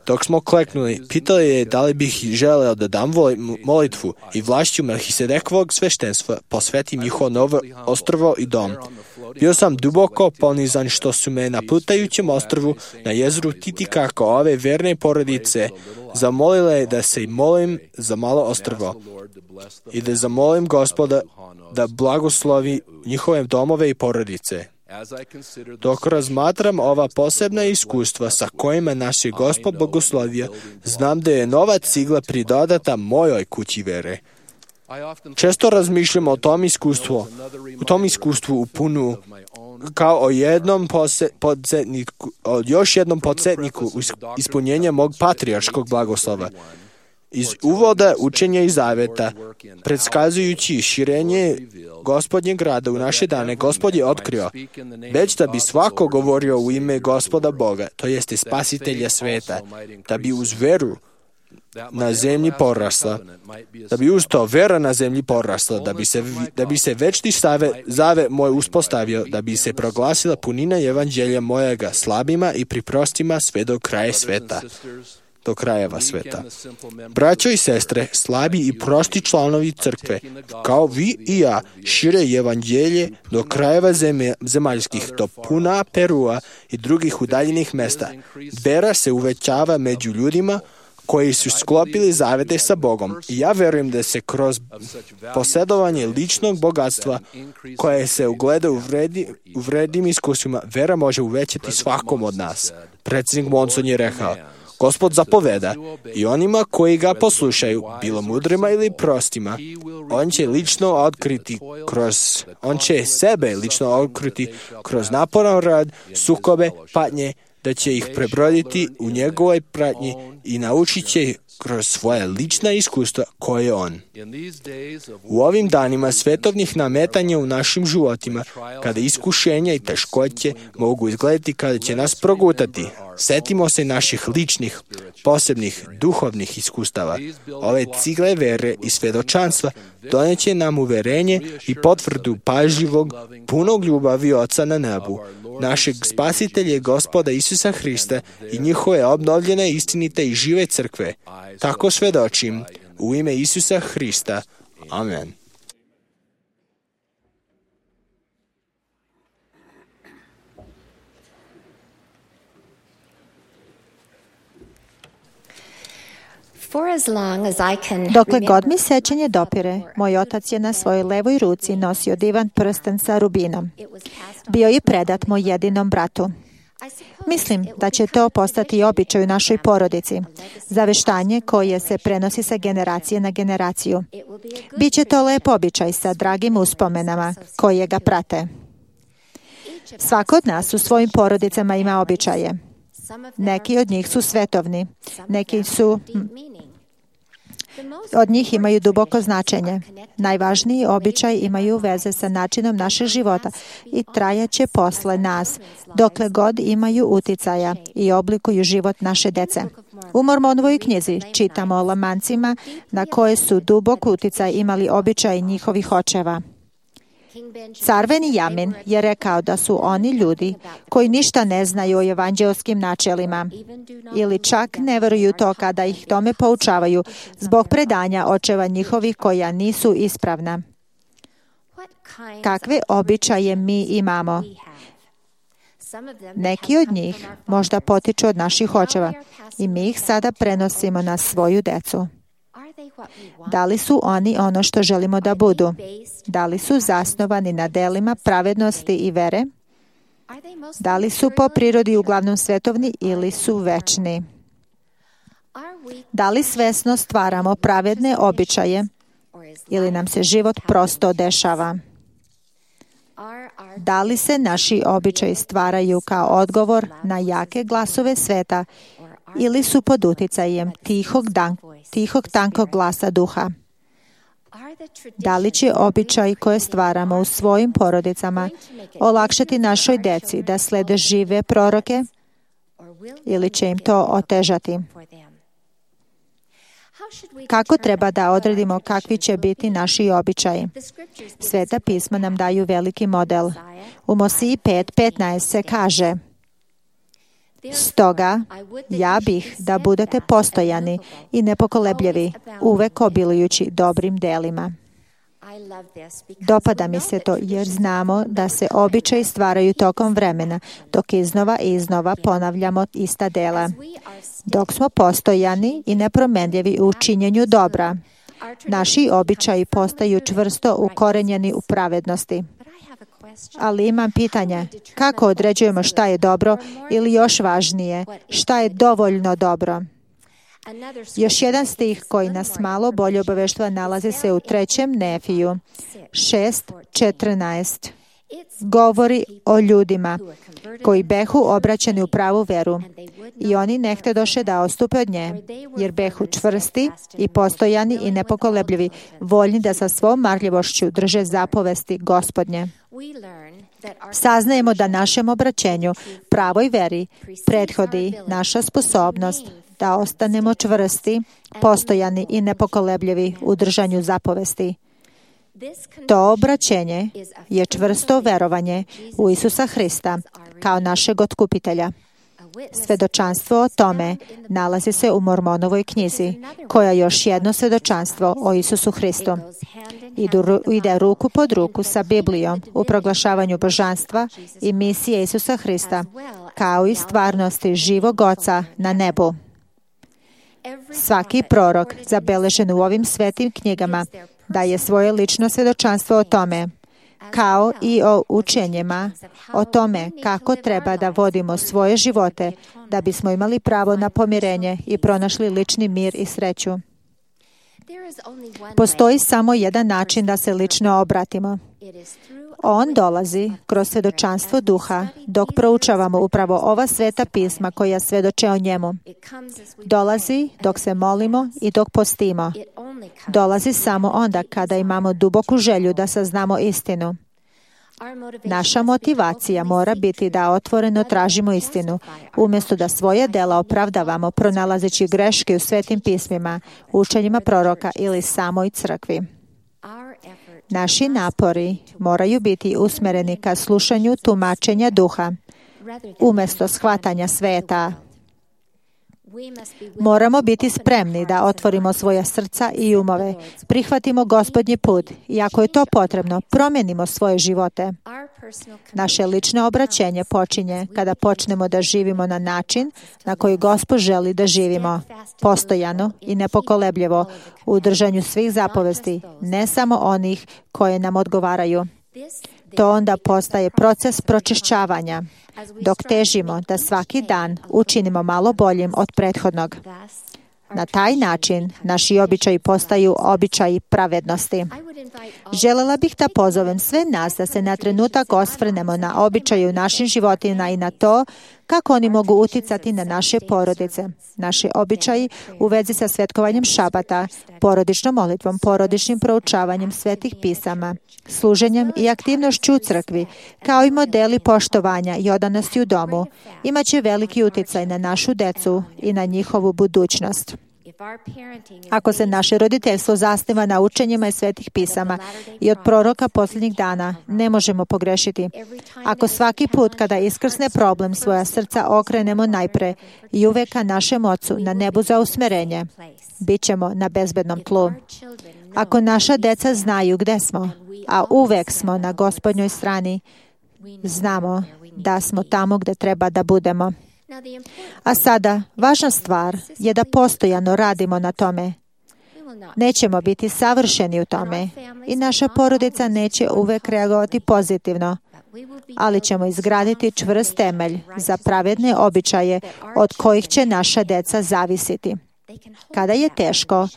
Dok smo kleknuli, pitali je da li bih želeo da dam molitvu i vlašću Melhisedekovog sveštenstva posvetim njihovo novo ostrvo i dom. Bio sam duboko ponizan što su me na plutajućem ostrvu na jezeru Titicacá ove verne porodice zamolile da se molim za malo ostrvo i da zamolim Gospoda da blagoslovi njihove domove i porodice. Dok razmatram ova posebna iskustva sa kojima naš je Gospod blagoslovio, znam da je nova cigla pridodata mojoj kući vere. Često razmišljam o tom iskustvu u Punu kao o još jednom podsjetniku ispunjenja mog patrijarškog blagoslova. Iz uvoda učenja i zaveta, predskazujući širenje Gospodnjeg rada u naše dane, Gospod je otkrio, već da bi svako govorio u ime Gospoda Boga, to jeste Spasitelja sveta, da bi uz veru na zemlji porasla, da bi uz to vera na zemlji porasla, da bi se večni zave moj uspostavio, da bi se proglasila punina evanđelja mojega slabima i priprostima sve do kraja sveta. Do krajeva sveta. Braćo i sestre, slabi i prosti članovi crkve, kao vi i ja, šire evanđelje do krajeva zemaljskih, do Puna, Perua i drugih udaljenih mesta. Vera se uvećava među ljudima koji su sklopili zavete sa Bogom. I ja verujem da se kroz posjedovanje ličnog bogatstva koje se ugleda u vrednim iskustvima, vera može uvećati svakom od nas. Predsjednik Monson je rekao, Gospod zapoveda i onima koji ga poslušaju, bilo mudrima ili prostima, on će sebe lično otkriti kroz naporan rad, sukobe, patnje, da će ih prebroditi u njegovoj pratnji i naučit će ih kroz svoje lična iskustva koje on. U ovim danima svetovnih nametanja u našim životima, kada iskušenja i teškoće mogu izgledati kada će nas progutati, setimo se naših ličnih, posebnih, duhovnih iskustava. Ove cigle vere i svedočanstva doneće nam uverenje i potvrdu pažljivog, punog ljubavi Oca na nebu, našeg Spasitelja Gospoda Isusa Hrista i njihove obnovljene, istinite i žive crkve. Tako svedočim u ime Isusa Hrista. Amen. Dokle god mi sećanje dopire, moj otac je na svojoj levoj ruci nosio divan prsten sa rubinom. Bio je predat moj jedinom bratu. Mislim da će to postati običaj u našoj porodici, zaveštanje koje se prenosi sa generacije na generaciju. Biće to lep običaj sa dragim uspomenama koje ga prate. Svako od nas u svojim porodicama ima običaje. Neki od njih su svetovni, neki su od njih imaju duboko značenje. Najvažniji običaji imaju veze sa načinom našeg života i trajaće posle nas, dokle god imaju uticaja i oblikuju život naše dece. U Mormonovoj knjizi čitamo o lamancima na koje su dubok uticaj imali običaji njihovih očeva. Car Benjamin je rekao da su oni ljudi koji ništa ne znaju o evanđelskim načelima ili čak ne veruju to kada ih tome poučavaju zbog predanja očeva njihovih koja nisu ispravna. Kakve običaje mi imamo? Neki od njih možda potiču od naših očeva i mi ih sada prenosimo na svoju decu. Da li su oni ono što želimo da budu? Da li su zasnovani na delima pravednosti i vere? Da li su po prirodi uglavnom svetovni ili su večni? Da li svesno stvaramo pravedne običaje ili nam se život prosto dešava? Da li se naši običaji stvaraju kao odgovor na jake glasove sveta ili su pod uticajem tihog tankog glasa duha? Da li će običaji koje stvaramo u svojim porodicama olakšati našoj deci da slede žive proroke ili će im to otežati? Kako treba da odredimo kakvi će biti naši običaji? Sveta pisma nam daju veliki model. U Mosiji 5:15 se kaže: Stoga, ja bih da budete postojani i nepokolebljivi, uvek obilujući dobrim delima. Dopada mi se to jer znamo da se običaji stvaraju tokom vremena, dok iznova i iznova ponavljamo ista dela. Dok smo postojani i nepromenljivi u činjenju dobra, naši običaji postaju čvrsto ukorenjeni u pravednosti. Ali imam pitanje, kako određujemo šta je dobro ili još važnije, šta je dovoljno dobro? Još jedan stih koji nas malo bolje obaveštava nalazi se u 3. Nefiju 6:14. Govori o ljudima koji behu obraćeni u pravu veru i oni ne htedoše da ostupe od nje, jer behu čvrsti i postojani i nepokolebljivi, voljni da sa svom marljivošću drže zapovesti Gospodnje. Saznajemo da našem obraćenju, pravoj veri, prethodi naša sposobnost da ostanemo čvrsti, postojani i nepokolebljivi u držanju zapovesti. To obraćenje je čvrsto verovanje u Isusa Hrista kao našeg otkupitelja. Svedočanstvo o tome nalazi se u Mormonovoj knjizi, koja je još jedno svedočanstvo o Isusu Hristu. Ide ruku pod ruku sa Biblijom u proglašavanju božanstva i misije Isusa Hrista, kao i stvarnosti živog Oca na nebu. Svaki prorok zabeležen u ovim svetim knjigama daje svoje lično svedočanstvo o tome, kao i o učenjima o tome kako treba da vodimo svoje živote da bismo imali pravo na pomirenje i pronašli lični mir i sreću. Postoji samo jedan način da se lično obratimo. On dolazi kroz svedočanstvo duha dok proučavamo upravo ova sveta pisma koja svedoče o njemu. Dolazi dok se molimo i dok postimo. Dolazi samo onda kada imamo duboku želju da saznamo istinu. Naša motivacija mora biti da otvoreno tražimo istinu, umjesto da svoje dela opravdavamo pronalazeći greške u svetim pismima, učenjima proroka ili samoj crkvi. Naši napori moraju biti usmereni ka slušanju tumačenja duha, umjesto shvatanja sveta. Moramo biti spremni da otvorimo svoja srca i umove, prihvatimo Gospodnji put i ako je to potrebno, promijenimo svoje živote. Naše lično obraćenje počinje kada počnemo da živimo na način na koji Gospod želi da živimo, postojano i nepokolebljivo u držanju svih zapovesti, ne samo onih koje nam odgovaraju. To onda postaje proces pročišćavanja, dok težimo da svaki dan učinimo malo boljim od prethodnog. Na taj način naši običaji postaju običaji pravednosti. Želela bih da pozovem sve nas da se na trenutak osvrnemo na običaje u našim životima i na to kako oni mogu uticati na naše porodice. Naši običaji u vezi sa svetkovanjem šabata, porodičnom molitvom, porodičnim proučavanjem svetih pisama, služenjem i aktivnošću u crkvi, kao i modeli poštovanja i odanosti u domu, imaće veliki uticaj na našu decu i na njihovu budućnost. Ako se naše roditeljstvo zasniva na učenjima iz svetih pisama i od proroka posljednjih dana, ne možemo pogrešiti. Ako svaki put kada iskrsne problem svoja srca okrenemo najpre i uvek ka našem Ocu na nebu za usmerenje, bit ćemo na bezbednom tlu. Ako naša deca znaju gde smo, a uvek smo na Gospodnjoj strani, znamo da smo tamo gde treba da budemo. A sada, važna stvar je da postojano radimo na tome. Nećemo biti savršeni u tome i naša porodica neće uvek reagovati pozitivno, ali ćemo izgraditi čvrst temelj za pravedne običaje od kojih će naša deca zavisiti. Kada je teško,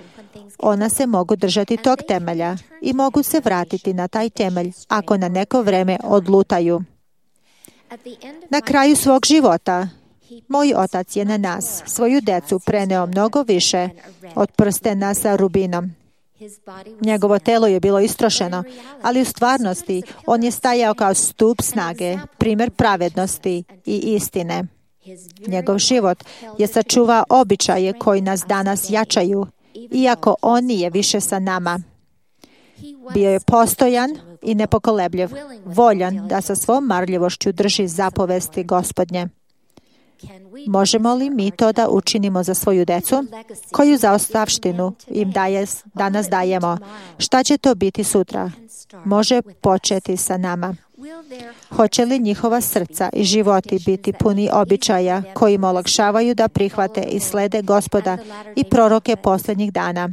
ona se mogu držati tog temelja i mogu se vratiti na taj temelj ako na neko vreme odlutaju. Na kraju svog života, moj otac je na nas, svoju decu, preneo mnogo više od prstena sa rubinom. Njegovo telo je bilo istrošeno, ali u stvarnosti on je stajao kao stup snage, primjer pravednosti i istine. Njegov život je sačuvao običaje koji nas danas jačaju, iako on nije više sa nama. Bio je postojan i nepokolebljiv, voljan da sa svom marljivošću drži zapovesti Gospodnje. Možemo li mi to da učinimo za svoju decu? Koju zaostavštinu im danas dajemo? Šta će to biti sutra? Može početi sa nama. Hoće li njihova srca i životi biti puni običaja koji im olakšavaju da prihvate i slede Gospoda i proroke posljednjih dana?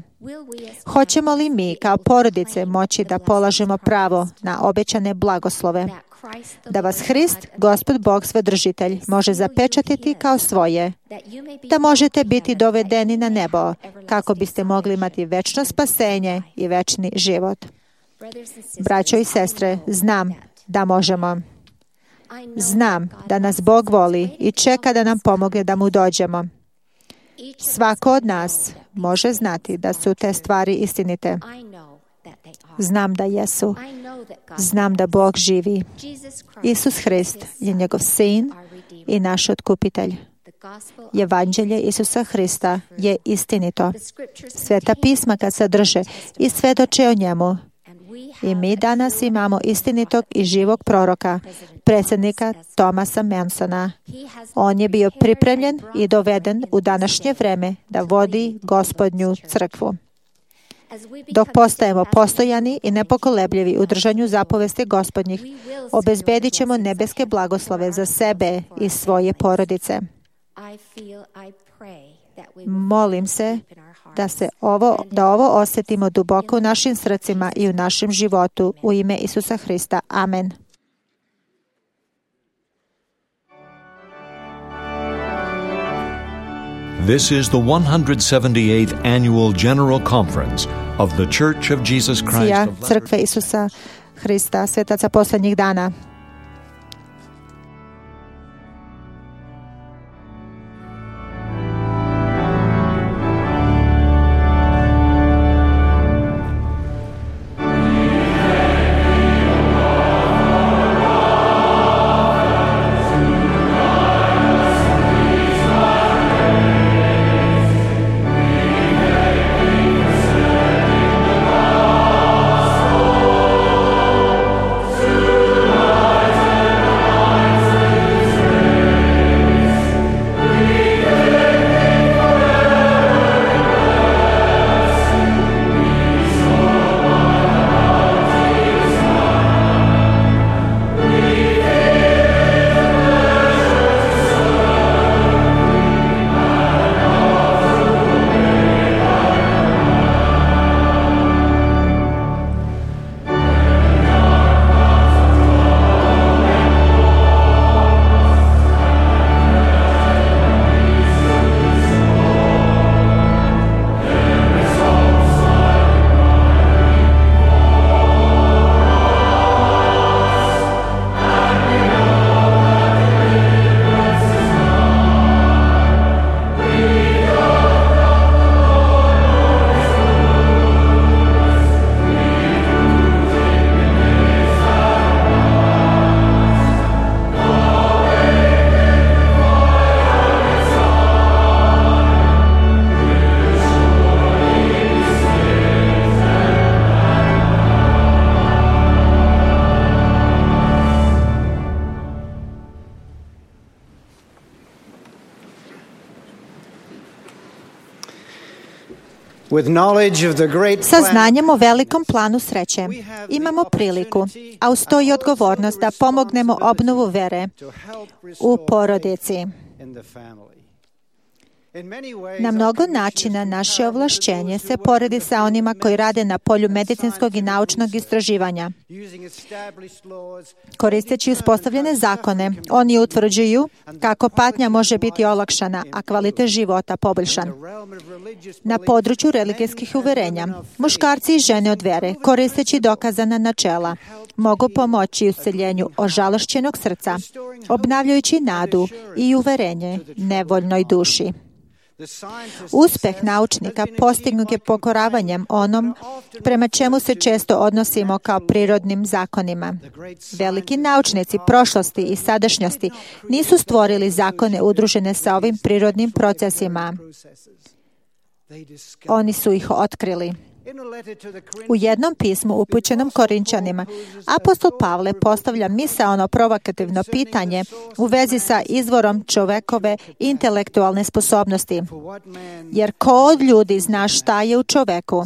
Hoćemo li mi kao porodice moći da polažemo pravo na obećane blagoslove? Da vas Hrist, Gospod Bog Svedržitelj, može zapečatiti kao svoje, da možete biti dovedeni na nebo, kako biste mogli imati večno spasenje i večni život. Braćo i sestre, znam da možemo. Znam da nas Bog voli i čeka da nam pomogne da mu dođemo. Svako od nas može znati da su te stvari istinite. Znam da jesu. Znam da Bog živi. Isus Hrist je njegov sin i naš otkupitelj. Evanđelje Isusa Hrista je istinito. Sveta pisma kad sadrže i svedoče o njemu. I mi danas imamo istinitog i živog proroka, predsjednika Thomasa Mansona. On je bio pripremljen i doveden u današnje vreme da vodi Gospodnju crkvu. Dok postajemo postojani i nepokolebljivi u držanju zapovesti Gospodnjih, obezbedit ćemo nebeske blagoslove za sebe i svoje porodice. Molim se da ovo osjetimo duboko u našim srcima i u našem životu u ime Isusa Hrista. Amen. This is the 178th Annual General Conference of the Church of Jesus Christ of Crkve Isusa Hrista, svetaca posljednjih dana. Oh Sa znanjem o velikom planu sreće imamo priliku, a uz to i odgovornost da pomognemo obnovu vere u porodici. Na mnogo načina naše ovlašćenje se poredi sa onima koji rade na polju medicinskog i naučnog istraživanja. Koristeći uspostavljene zakone, oni utvrđuju kako patnja može biti olakšana, a kvalitet života poboljšan. Na području religijskih uverenja, muškarci i žene od vere, koristeći dokazana načela, mogu pomoći useljenju ožalošćenog srca, obnavljajući nadu i uverenje nevoljnoj duši. Uspeh naučnika postignut je pokoravanjem onom prema čemu se često odnosimo kao prirodnim zakonima. Veliki naučnici prošlosti i sadašnjosti nisu stvorili zakone udružene sa ovim prirodnim procesima. Oni su ih otkrili. U jednom pismu upućenom Korinčanima, apostol Pavle postavlja misaono provokativno pitanje u vezi sa izvorom čovekove intelektualne sposobnosti. Jer ko od ljudi zna šta je u čoveku,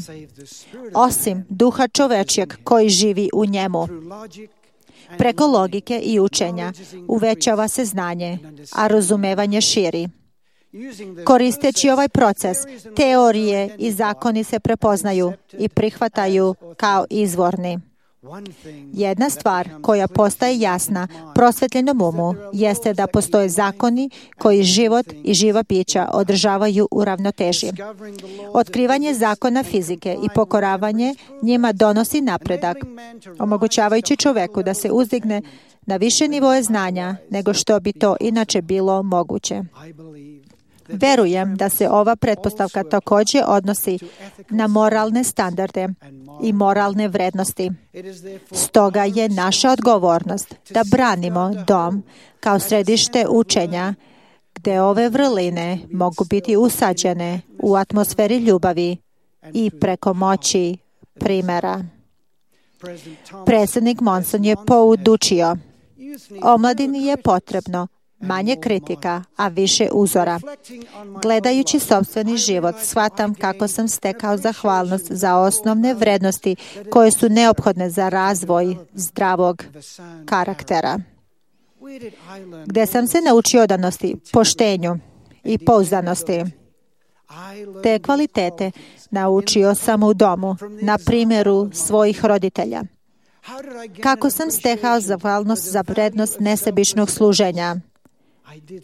osim duha čovečjeg koji živi u njemu? Preko logike i učenja uvećava se znanje, a razumevanje širi. Koristeći ovaj proces, teorije i zakoni se prepoznaju i prihvataju kao izvorni. Jedna stvar koja postaje jasna prosvetljenom umu jeste da postoje zakoni koji život i živa bića održavaju u ravnoteži. Otkrivanje zakona fizike i pokoravanje njima donosi napredak, omogućavajući čoveku da se uzdigne na više nivoje znanja nego što bi to inače bilo moguće. Verujem da se ova pretpostavka također odnosi na moralne standarde i moralne vrednosti. Stoga je naša odgovornost da branimo dom kao središte učenja, gdje ove vrline mogu biti usađene u atmosferi ljubavi i preko moći primjera. Predsjednik Monson je poučio: omladini je potrebno manje kritika, a više uzora. Gledajući sopstveni život, shvatam kako sam stekao zahvalnost za osnovne vrednosti koje su neophodne za razvoj zdravog karaktera. Gde sam se naučio odanosti, poštenju i pouzdanosti. Te kvalitete naučio sam u domu, na primjeru svojih roditelja. Kako sam stekao zahvalnost za vrednost nesebičnog služenja?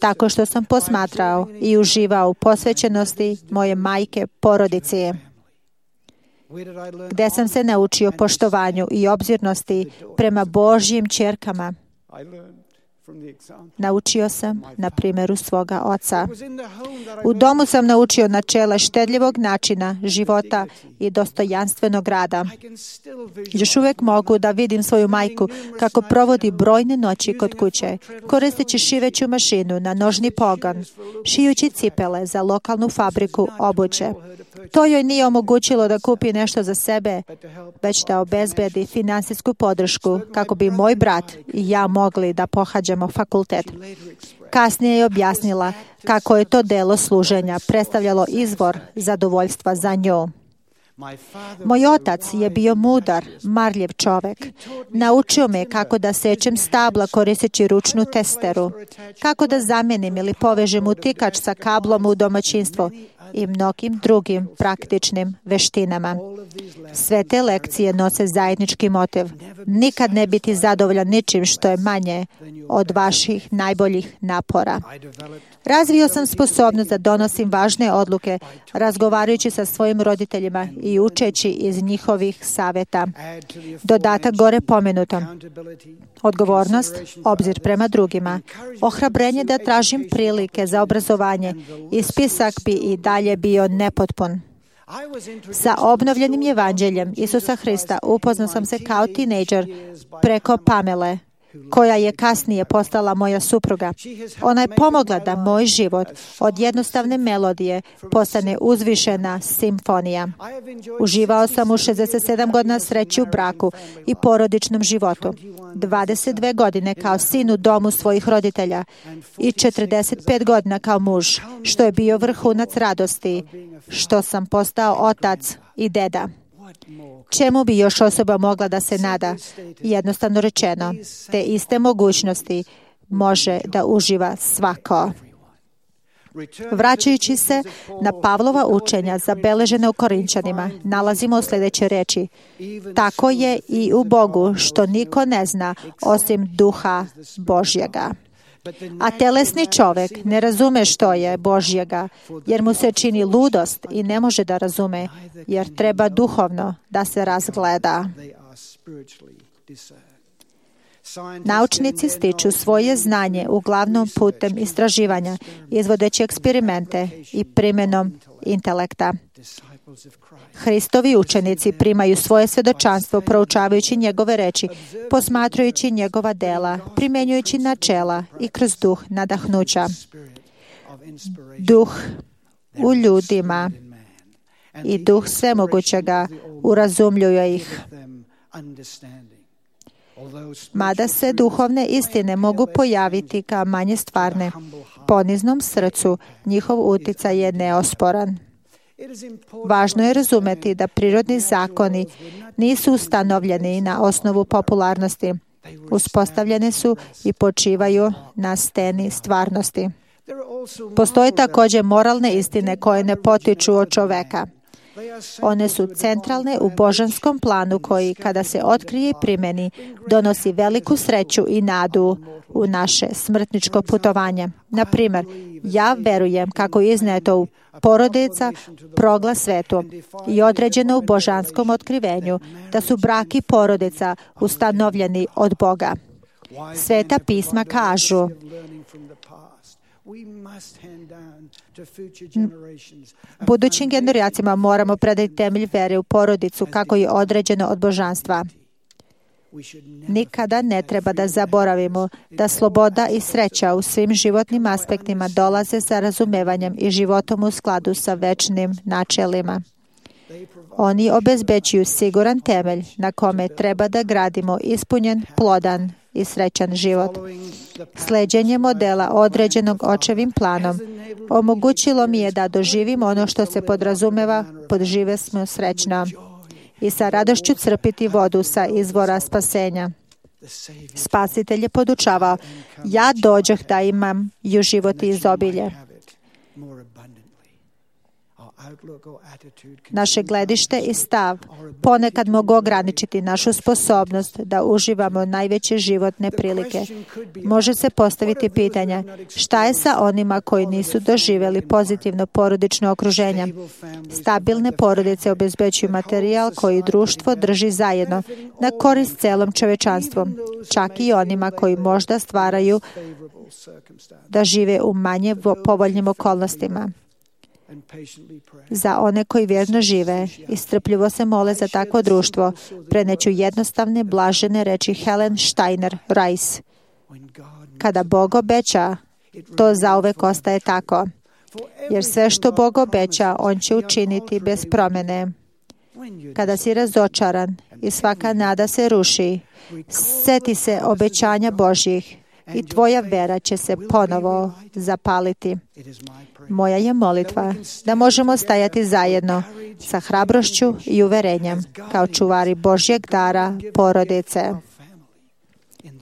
Tako što sam posmatrao i uživao u posvećenosti moje majke porodici. Gde sam se naučio poštovanju i obzirnosti prema Božjim ćerkama? Naučio sam na primjeru svoga oca. U domu sam naučio načela štedljivog načina života i dostojanstvenog rada. Još uvijek mogu da vidim svoju majku kako provodi brojne noći kod kuće, koristeći šiveću mašinu na nožni pogon, šijući cipele za lokalnu fabriku obuće. To joj nije omogućilo da kupi nešto za sebe, već da obezbedi finansijsku podršku kako bi moj brat i ja mogli da pohađamo fakultet. Kasnije je objasnila kako je to delo služenja predstavljalo izvor zadovoljstva za nju. Moj otac je bio mudar, marljiv čovek. Naučio me kako da sečem stabla koristeći ručnu testeru, kako da zamenim ili povežem utikač sa kablom u domaćinstvo i mnogim drugim praktičnim veštinama. Sve te lekcije nose zajednički motiv: nikad ne biti zadovoljan ničim što je manje od vaših najboljih napora. Razvio sam sposobnost da donosim važne odluke, razgovarajući sa svojim roditeljima i učeći iz njihovih savjeta. Dodatak gore pomenutom: odgovornost, obzir prema drugima, ohrabrenje da tražim prilike za obrazovanje i spisak bi i dalje bio nepotpun. Sa obnovljenim evanđeljem Isusa Hrista upoznao sam se kao tinejdžer preko Pamele, koja je kasnije postala moja supruga. Ona je pomogla da moj život od jednostavne melodije postane uzvišena simfonija. Uživao sam u 67 godina sreći u braku i porodičnom životu, 22 godine kao sin u domu svojih roditelja i 45 godina kao muž, što je bio vrhunac radosti, što sam postao otac i deda. Čemu bi još osoba mogla da se nada? Jednostavno rečeno, te iste mogućnosti može da uživa svako. Vraćajući se na Pavlova učenja zabeležene u Korinčanima, nalazimo sljedeće reči. Tako je i u Bogu, što niko ne zna osim duha Božjega. A telesni čovjek ne razume što je Božjega, jer mu se čini ludost i ne može da razume, jer treba duhovno da se razgleda. Naučnici stiču svoje znanje uglavnom putem istraživanja, izvodeći eksperimente i primjenom intelekta. Hristovi učenici primaju svoje svjedočanstvo proučavajući njegove reči, posmatrajući njegova dela, primjenjujući načela i kroz duh nadahnuća. Duh u ljudima i duh svemogućega urazumljuje ih. Mada se duhovne istine mogu pojaviti kao manje stvarne, poniznom srcu njihov uticaj je neosporan. Važno je razumeti da prirodni zakoni nisu ustanovljeni na osnovu popularnosti. Uspostavljeni su i počivaju na steni stvarnosti. Postoje također moralne istine koje ne potiču od čoveka. One su centralne u božanskom planu koji, kada se otkrije i primjeni, donosi veliku sreću i nadu u naše smrtničko putovanje. Na primjer, ja verujem kako je izneto u porodica proglas svetu i određeno u božanskom otkrivenju da su brak i porodica ustanovljeni od Boga. Sveta pisma kažu: budućim generacijama moramo predati temelj vere u porodicu kako je određeno od božanstva. Nikada ne treba da zaboravimo da sloboda i sreća u svim životnim aspektima dolaze sa razumevanjem i životom u skladu sa večnim načelima. Oni obezbeđuju siguran temelj na kome treba da gradimo ispunjen, plodan i srećan život. Sleđenje modela određenog očevim planom omogućilo mi je da doživim ono što se podrazumeva pod žive smo srećno i sa radošću crpiti vodu sa izvora spasenja. Spasitelj je podučavao: ja dođoh da imam ju život i izobilje. Naše gledište i stav ponekad mogu ograničiti našu sposobnost da uživamo najveće životne prilike. Može se postaviti pitanje: šta je sa onima koji nisu doživjeli pozitivno porodično okruženje? Stabilne porodice obezbeđuju materijal koji društvo drži zajedno na korist celom čovečanstvu, čak i onima koji možda stvaraju da žive u manje povoljnim okolnostima. Za one koji vjerno žive i strpljivo se mole za takvo društvo, preneću jednostavne, blažene reči Helen Steiner Rice. Kada Bog obeća, to zauvek ostaje tako. Jer sve što Bog obeća, On će učiniti bez promjene. Kada si razočaran i svaka nada se ruši, seti se obećanja Božjih i tvoja vera će se ponovo zapaliti. Moja je molitva da možemo stajati zajedno sa hrabrošću i uverenjem kao čuvari Božjeg dara porodice.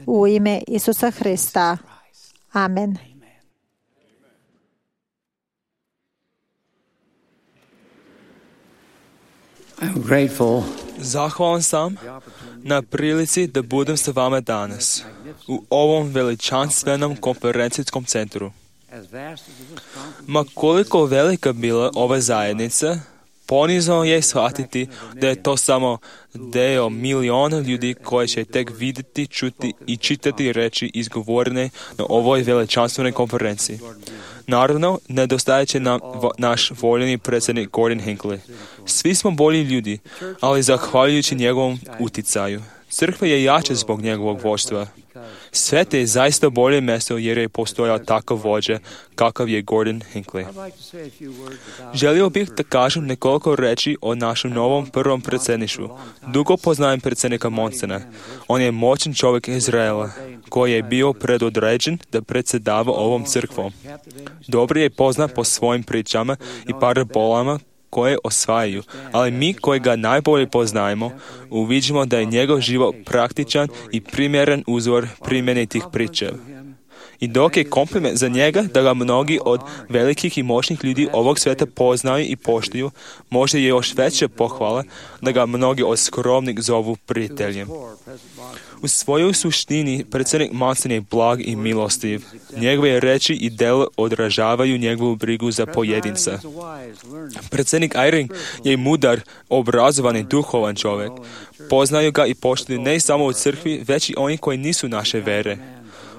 U ime Isusa Hrista. Amen. Zahvalan sam na prilici da budem sa vama danas u ovom veličanstvenom konferencijskom centru. Ma koliko velika bila ova zajednica, ponizno je shvatiti da je to samo deo miliona ljudi koji će tek vidjeti, čuti i čitati reči izgovorene na ovoj veličanstvenoj konferenciji. Naravno, nedostajat će nam naš voljeni predsjednik Gordon Hinckley. Svi smo bolji ljudi, ali zahvaljujući njegovom uticaju, Crkva je jača zbog njegovog vođstva. Svet je zaista bolje mjesto jer je postojao takav vođa kakav je Gordon Hinckley. Želio bih da kažem nekoliko reći o našem novom prvom predsjedništvu. Dugo poznajem predsjednika Monsona. On je moćan čovjek Izraela koji je bio predodređen da predsjedava ovom crkvom. Dobro je poznat po svojim pričama i parabolama koje osvajaju, ali mi koji ga najbolje poznajemo, uviđamo da je njegov život praktičan i primjeren uzor primjene tih priča. I dok je kompliment za njega da ga mnogi od velikih i moćnih ljudi ovog svijeta poznaju i poštuju, možda je još veća pohvala da ga mnogi od skromnih zovu prijateljem. U svojoj suštini predsjednik Monson je blag i milostiv. Njegove reči i djela odražavaju njegovu brigu za pojedinca. Predsjednik Eyring je mudar, obrazovan i duhovan čovjek. Poznaju ga i poštuju ne samo u crkvi, već i oni koji nisu naše vere.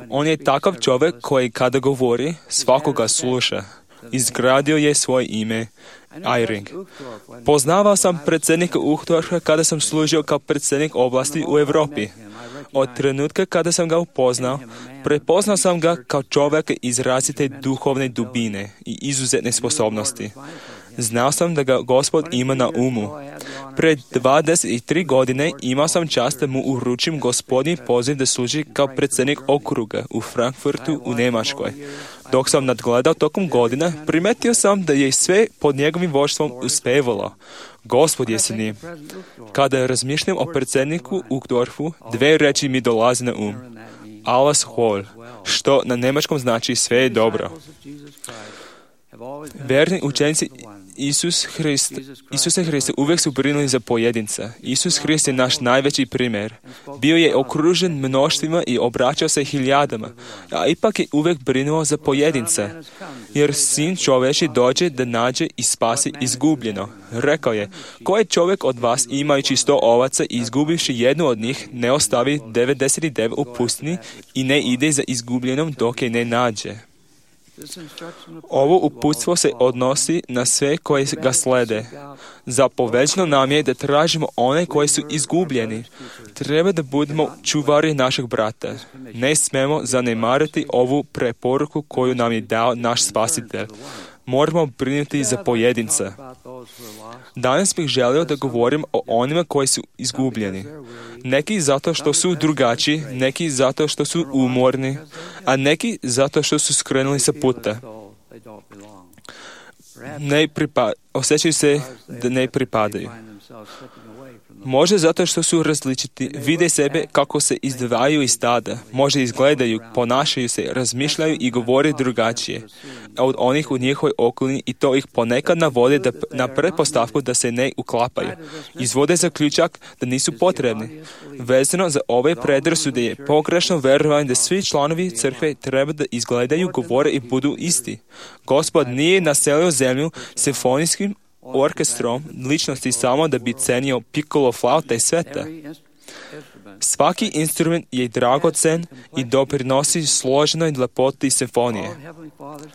On je takav čovjek koji kada govori, svakoga sluša. Izgradio je svoje ime, Eyring. Poznavao sam predsjednika Uchtdorfa kada sam služio kao predsjednik oblasti u Europi. Od trenutka kada sam ga upoznao, prepoznao sam ga kao čovjeka izrazite duhovne dubine i izuzetne sposobnosti. Znao sam da ga Gospod ima na umu. Pred 23 godine imao sam čast da mu uručim Gospodnji poziv da služi kao predsjednik okruga u Frankfurtu u Njemačkoj. Dok sam nadgledao tokom godina, primetio sam da je sve pod njegovim vođstvom uspevalo. Gospod je s njim. Kada razmišljam o predsjedniku Uchtdorfu, dve reči mi dolaze na um. Alles wohl, što na njemačkom znači sve je dobro. Verni učenici Isusa Hrista uvijek su brinuli za pojedinca. Isus Hrist je naš najveći primjer. Bio je okružen mnoštvima i obraćao se hiljadama, a ipak je uvijek brinuo za pojedinca. Jer sin čovječi dođe da nađe i spasi izgubljeno. Rekao je, koji čovjek od vas imajući 100 ovaca i izgubivši jednu od njih, ne ostavi 99 u pustini i ne ide za izgubljenom dok je ne nađe. Ovo uputstvo se odnosi na sve koji ga slede. Zapoveđeno nam je da tražimo one koji su izgubljeni. Treba da budemo čuvari našeg brata. Ne smemo zanemariti ovu preporuku koju nam je dao naš Spasitelj. Moramo brinuti za pojedinca. Danas bih želio da govorim o onima koji su izgubljeni. Neki zato što su drugačiji, neki zato što su umorni, a neki zato što su skrenuli sa puta. Osjećaju se da ne pripadaju. Možda zato što su različiti, vide sebe kako se izdvajaju iz stada, možda izgledaju, ponašaju se, razmišljaju i govore drugačije od onih u njihovoj okolini i to ih ponekad navode na pretpostavku da se ne uklapaju. Izvode zaključak da nisu potrebni. Vezano za ove predrasude je pogrešno verovanje da svi članovi crkve treba da izgledaju, govore i budu isti. Gospod nije naselio zemlju simfonijskim orkestrom ličnosti samo da bi cenio piccolo flauta i sveta. Svaki instrument je dragocen i doprinosi složenoj lepoti simfonije.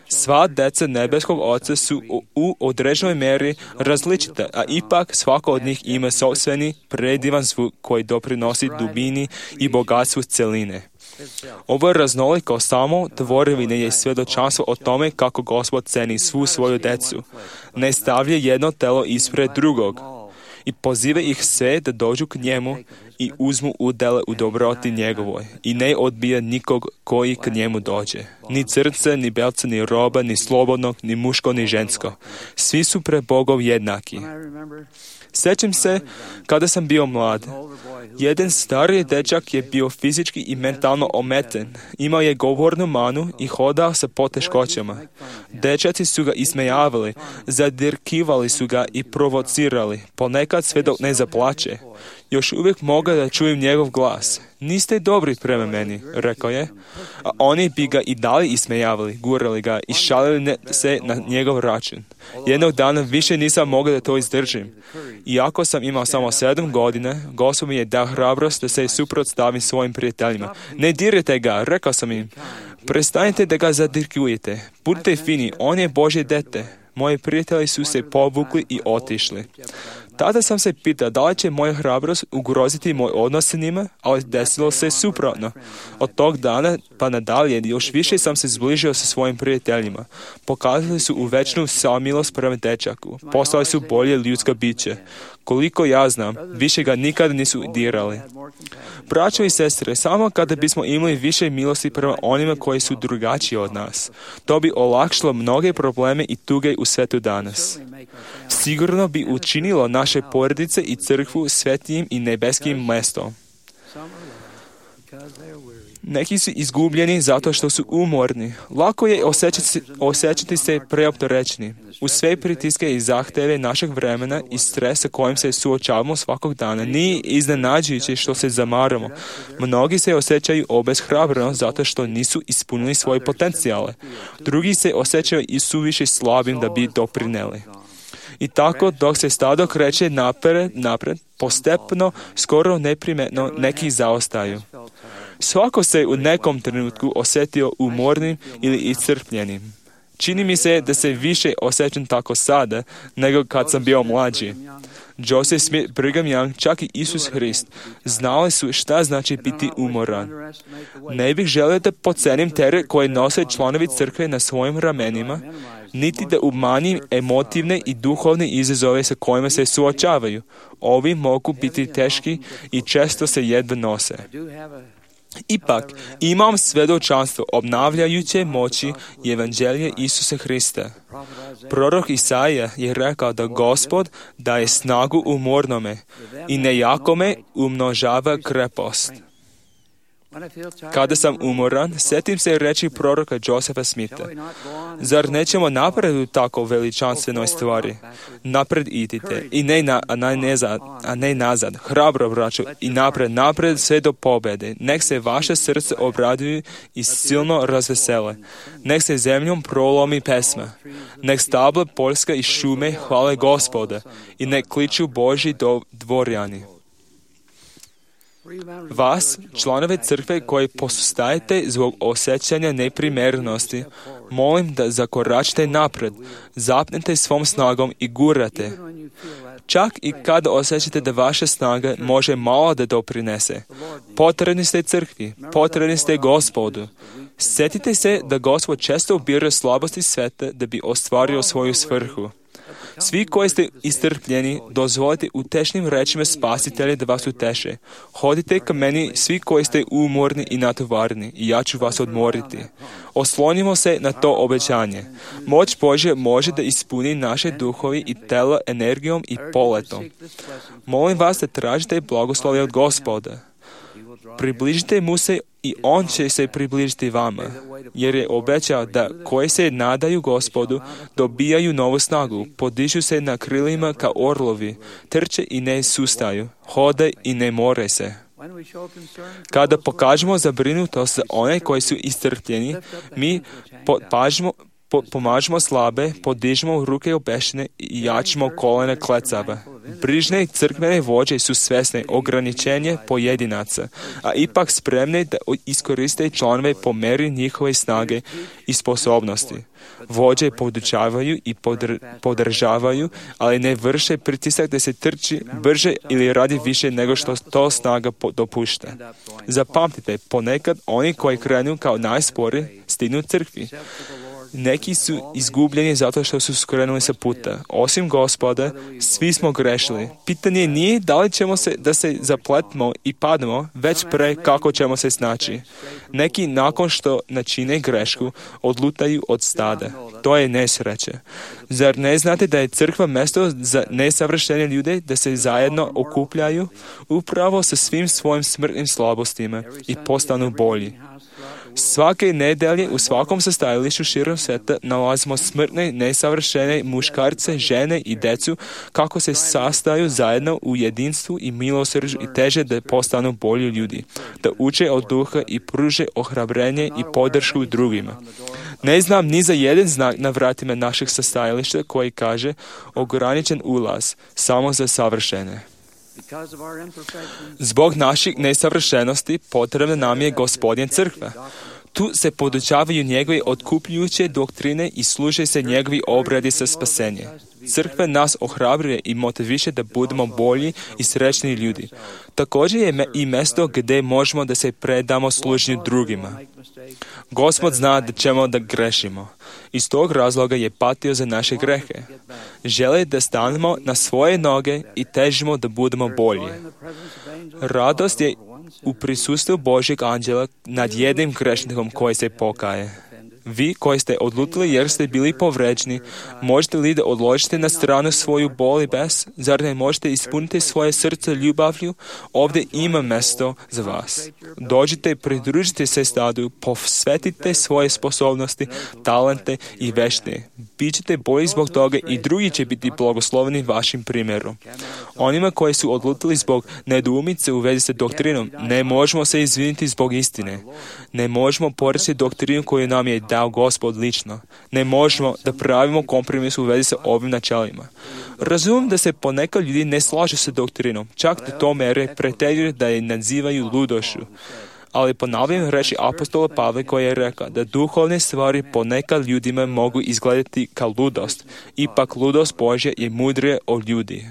Sva deca nebeskog Oca su u određenoj meri različita, a ipak svako od njih ima sopstveni predivan zvuk koji doprinosi dubini i bogatstvu celine. Ovo raznoliko samo tvorevine je svjedočanstvo o tome kako Gospod ceni svu svoju decu. Ne stavlja jedno telo ispred drugog i poziva ih sve da dođu k njemu i uzmu udjele u dobroti njegovoj i ne odbija nikog koji k njemu dođe. Ni crnca, ni belca, ni roba, ni slobodnog, ni muško, ni žensko. Svi su pred Bogom jednaki. Sjećam se kada sam bio mlad. Jedan stariji dečak je bio fizički i mentalno ometen. Imao je govornu manu i hodao sa poteškoćama. Dečaci su ga ismejavali, zadirkivali su ga i provocirali, ponekad sve dok ne zaplače. Još uvijek mogu da čujem njegov glas. Niste dobri prema meni, rekao je. A oni bi ga i dalje ismejavali, gurali ga i šalili se na njegov račun. Jednog dana više nisam mogao da to izdržim. Iako sam imao samo 7 godina, Gospod mi je dao hrabrost da se suprotstavim svojim prijateljima. Ne dirajte ga, rekao sam im. Prestanite da ga zadirkujete. Budite fini, on je Božje dete. Moji prijatelji su se povukli i otišli. Tada sam se pitao da li će moja hrabrost ugroziti moj odnos s njima, ali desilo se suprotno. Od tog dana pa nadalje još više sam se zbližio sa svojim prijateljima. Pokazali su uvečnu samilost prema dečaku. Postali su bolje ljudsko biće. Koliko ja znam, više ga nikada nisu dirali. Braćo i sestre, samo kada bismo imali više milosti prema onima koji su drugačiji od nas, to bi olakšalo mnoge probleme i tuge u svetu danas. Sigurno bi učinilo naše porodice i crkvu svetijim i nebeskim mestom. Neki su izgubljeni zato što su umorni. Lako je osjećati se preopterećeni. Uz sve pritiske i zahteve našeg vremena i stresa kojim se suočavamo svakog dana, nije iznenađujuće što se zamaramo. Mnogi se osjećaju obeshrabreno zato što nisu ispunili svoje potencijale. Drugi se osjećaju i suviše slabim da bi doprineli. I tako, dok se stado kreće napred, postepeno, skoro neprimetno, neki zaostaju. Svako se u nekom trenutku osjetio umornim ili iscrpljenim. Čini mi se da se više osjećam tako sada, nego kad sam bio mlađi. Joseph Smith, Brigham Young, čak i Isus Hrist, znali su šta znači biti umoran. Ne bih želio da podcenim teret koje nose članovi crkve na svojim ramenima, niti da umanjim emotivne i duhovne izazove sa kojima se suočavaju. Ovi mogu biti teški i često se jedva nose. Ipak, imam svjedočanstvo obnavljajuće moći evanđelja Isusa Hrista. Prorok Isaija je rekao da Gospod daje snagu umornome i nejakome umnožava krepost. Kada sam umoran, sjetim se reći proroka Josepha Smitha. Zar nećemo napred u tako veličanstvenoj stvari? Napred idite, i ne nazad. Hrabro, braćo, i napred sve do pobjede. Nek se vaše srce obraduju i silno razvesele. Nek se zemljom prolomi pesma. Nek stabla poljska i šume hvale Gospoda i nek kliču Božji dvorjani. Vas, članove crkve koji posustajete zbog osjećanja neprimjerenosti, molim da zakoračite napred, zapnete svom snagom i gurate. Čak i kada osjećate da vaša snaga može malo da doprinese. Potrebni ste crkvi, potrebni ste Gospodu. Sjetite se da Gospod često ubira slabosti sveta da bi ostvario svoju svrhu. Svi koji ste istrpljeni, dozvolite utešnim rečima Spasitelja da vas uteše. Hodite ka meni svi koji ste umorni i natovarni i ja ću vas odmoriti. Oslonimo se na to obećanje. Moć Božja može da ispuni naše duhovi i telo energijom i poletom. Molim vas da tražite blagoslovlje od Gospoda. Približite mu se i on će se približiti vama, jer je obećao da koji se nadaju Gospodu dobijaju novu snagu, podižu se na krilima kao orlovi, trče i ne sustaju, hode i ne more se. Kada pokažemo zabrinutost za one koji su iscrpljeni, mi pomažemo slabe, podižemo ruke obešene i jačimo kolene klecava. Brižne crkvene vođe su svesne ograničenja pojedinaca, a ipak spremne da iskoriste članove po meri njihove snage i sposobnosti. Vođe podučavaju i podržavaju, ali ne vrše pritisak da se trči brže ili radi više nego što to snaga dopušta. Zapamtite, ponekad oni koji krenu kao najsporiji stignu crkvi. Neki su izgubljeni zato što su skrenuli sa puta. Osim Gospoda, svi smo grešili. Pitanje nije da li ćemo da se zapletimo i padnemo, već pre kako ćemo se snaći. Neki nakon što načine grešku, odlutaju od stada. To je nesreće. Zar ne znate da je crkva mjesto za nesavršene ljude da se zajedno okupljaju upravo sa svim svojim smrtnim slabostima i postanu bolji? Svake nedelje u svakom sastajalištu širom sveta nalazimo smrtne, nesavršene muškarce, žene i decu kako se sastaju zajedno u jedinstvu i milosrđu i teže da postanu bolji ljudi, da uče od duha i pruže ohrabrenje i podršku drugima. Ne znam ni za jedan znak na vratima našeg sastajališta koji kaže ograničen ulaz samo za savršene. Zbog naših nesavršenosti potrebna nam je Gospodin crkva. Tu se podučavaju njegove otkupljujuće doktrine i služe se njegovi obredi za spasenje. Crkva nas ohrabruje i motiviše da budemo bolji i srećni ljudi. Također je i mjesto gdje možemo da se predamo služenju drugima. Gospod zna da ćemo da grešimo. Iz tog razloga je patio za naše grehe. Želi da stanemo na svoje noge i težimo da budemo bolji. Radost je u prisustvu Božjeg anđela nad jednim grešnikom koji se pokaje. Vi koji ste odlutili jer ste bili povređeni, možete li da odložite na stranu svoju bol i bes? Zar ne možete ispuniti svoje srce ljubavlju? Ovdje ima mjesto za vas. Dođite i pridružite se stadu, posvetite svoje sposobnosti, talente i veštine. Bićete bolji zbog toga i drugi će biti blagosloveni vašim primjerom. Onima koji su odlutili zbog nedoumice u vezi sa doktrinom, ne možemo se izviniti zbog istine. Ne možemo poreći doktrinu koju nam je dao Gospod lično. Ne možemo da pravimo kompromis u vezi sa ovim načelima. Razumijem da se ponekad ljudi ne slažu sa doktrinom, čak do to mere preteruju da je nazivaju ludošću. Ali ponavljam reći apostola Pavla koji je rekao da duhovne stvari ponekad ljudima mogu izgledati kao ludost. Ipak ludost Božja je mudrija od ljudi.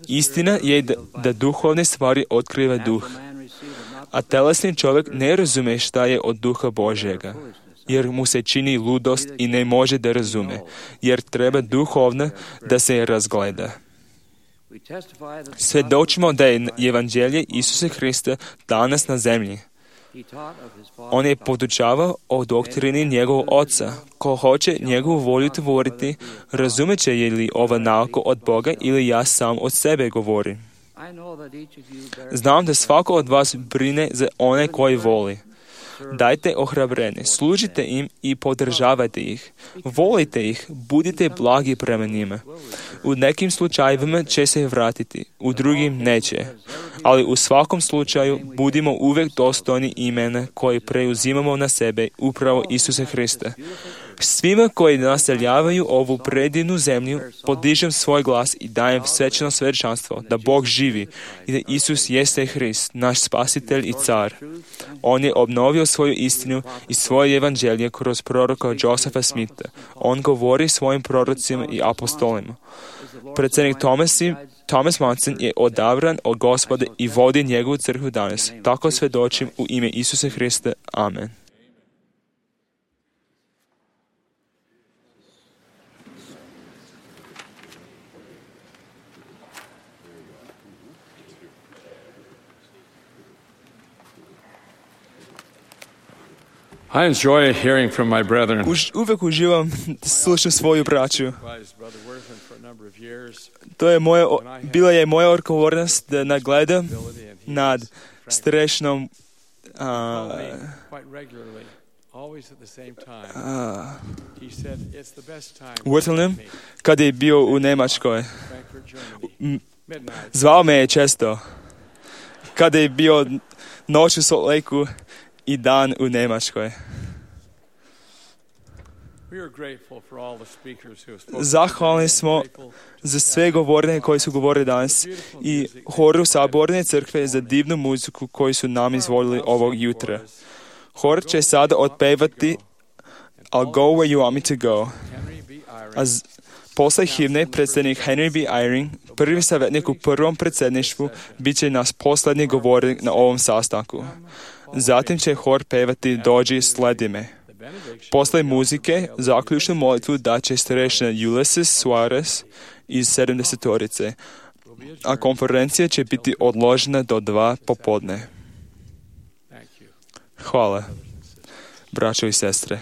Istina je da duhovne stvari otkriva duh. A telesni čovjek ne razume šta je od duha Božjega, jer mu se čini ludost i ne može da razume, jer treba duhovno da se razgleda. Svjedočimo da je evanđelje Isusa Hrista danas na zemlji. On je podučavao o doktrini njegovog oca. Ko hoće njegovu volju tvoriti, razumeće je li ova nauka od Boga ili ja sam od sebe govorim. Znam da svako od vas brine za one koji voli. Dajte ohrabrenje, služite im i podržavajte ih. Volite ih, budite blagi prema njima. U nekim slučajevima će se vratiti, u drugim neće. Ali u svakom slučaju budimo uvijek dostojni imena koje preuzimamo na sebe, upravo Isusa Hrista. Svima koji naseljavaju ovu predivnu zemlju podižem svoj glas i dajem svećeno svjedočanstvo da Bog živi i da Isus jeste Hrist, naš spasitelj i car. On je obnovio svoju istinu i svoje evanđelje kroz proroka Josepha Smitha. On govori svojim prorocima i apostolima. Predsjednik Thomas Monson je odabran od Gospoda i vodi njegovu crkvu danas. Tako svjedočim u ime Isusa Hrista. Amen. I enjoy hearing from my brethren. Uvijek uživam slušati svoju braću. Bila je moja odgovornost da nagledam nad strešnom Wurtelnem kad je bio u Njemačkoj. Zvao me je često kada je bio noć u Salt Lakeu i dan u Njemačkoj. Zahvalni smo za sve govornike koji su govorili danas i horu Saborne crkve za divnu muziku koju su nam izvolili ovog jutra. Hor će sada otpevati I'll go where you want me to go. A posle himne predsjednik Henry B. Eyring, prvi savjetnik u prvom predsjedništvu, bit će nas posljednji govornik na ovom sastanku. Zatim će hor pevati Dođi, sledi me. Posle muzike, zaključnu molitvu daće starešina Ulysses Suarez iz 70-torice, a konferencija će biti odložena do 2 popodne. Hvala, braćo i sestre.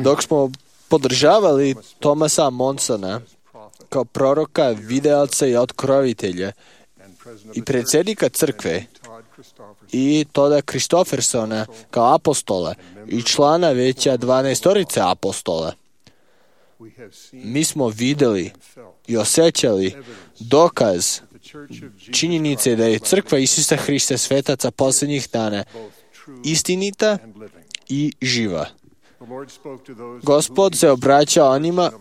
Dok smo podržavali Thomasa Monsona kao proroka, videoca i otkrovitelja i predsjednika crkve i Todda Christoffersona kao apostola i člana veća 12 apostola, mi smo vidjeli i osjećali dokaz činjenice da je crkva Isusa Hrista svetaca posljednjih dana istinita i živa. Gospod se obraća onima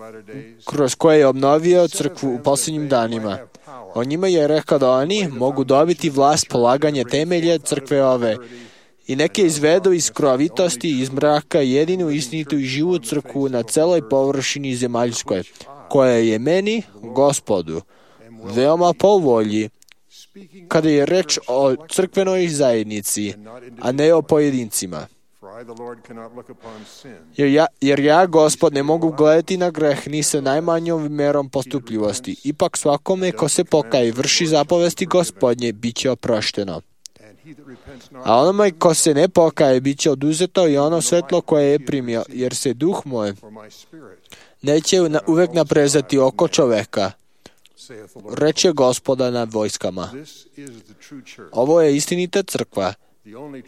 kroz koje je obnovio crkvu u posljednjim danima. O njima je rekao da oni mogu dobiti vlast polaganja temelja crkve ove i neke izvedu iz krovitosti i iz mraka jedinu istinitu i živu crkvu na celoj površini zemaljskoj, koja je meni, Gospodu, veoma po volji, kada je reč o crkvenoj zajednici, a ne o pojedincima. Jer ja, Gospod, ne mogu gledati na greh ni sa najmanjom merom postupljivosti. Ipak svakome ko se pokaje i vrši zapovesti Gospodnje, bit će oprošteno. A onome ko se ne pokaje, bit će oduzeto i ono svetlo koje je primio, jer se duh moj neće uvek naprezati oko čoveka, reče Gospoda nad vojskama. Ovo je istinita crkva,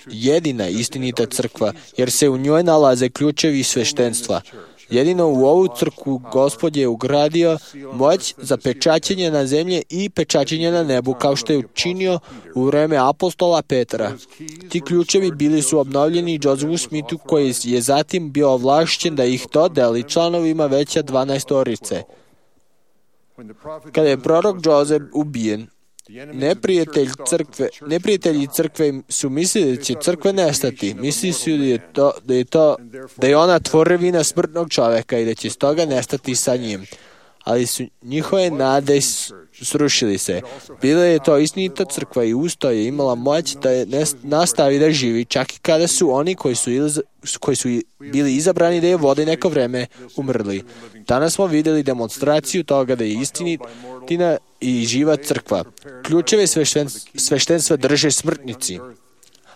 jedina istinita crkva, jer se u njoj nalaze ključevi sveštenstva. Jedino u ovu crkvu Gospod je ugradio moć za pečaćenje na zemlji i pečaćenje na nebu, kao što je učinio u vreme apostola Petra. Ti ključevi bili su obnovljeni Josephu Smithu, koji je zatim bio ovlašćen da ih dodeli članovima veća 12. Kada je prorok Joseph ubijen, neprijatelji crkve su mislili da će crkva nestati. Mislili su da je ona tvorevina smrtnog čoveka i da će stoga nestati sa njim. Ali su njihove nade srušili se. Bila je to istinita crkva i usto je imala moć da je nastavi da živi, čak i kada su oni koji su bili izabrani da je vode neko vreme umrli. Danas smo vidjeli demonstraciju toga da je istina i živa crkva. Ključeve sveštenstva drže smrtnici.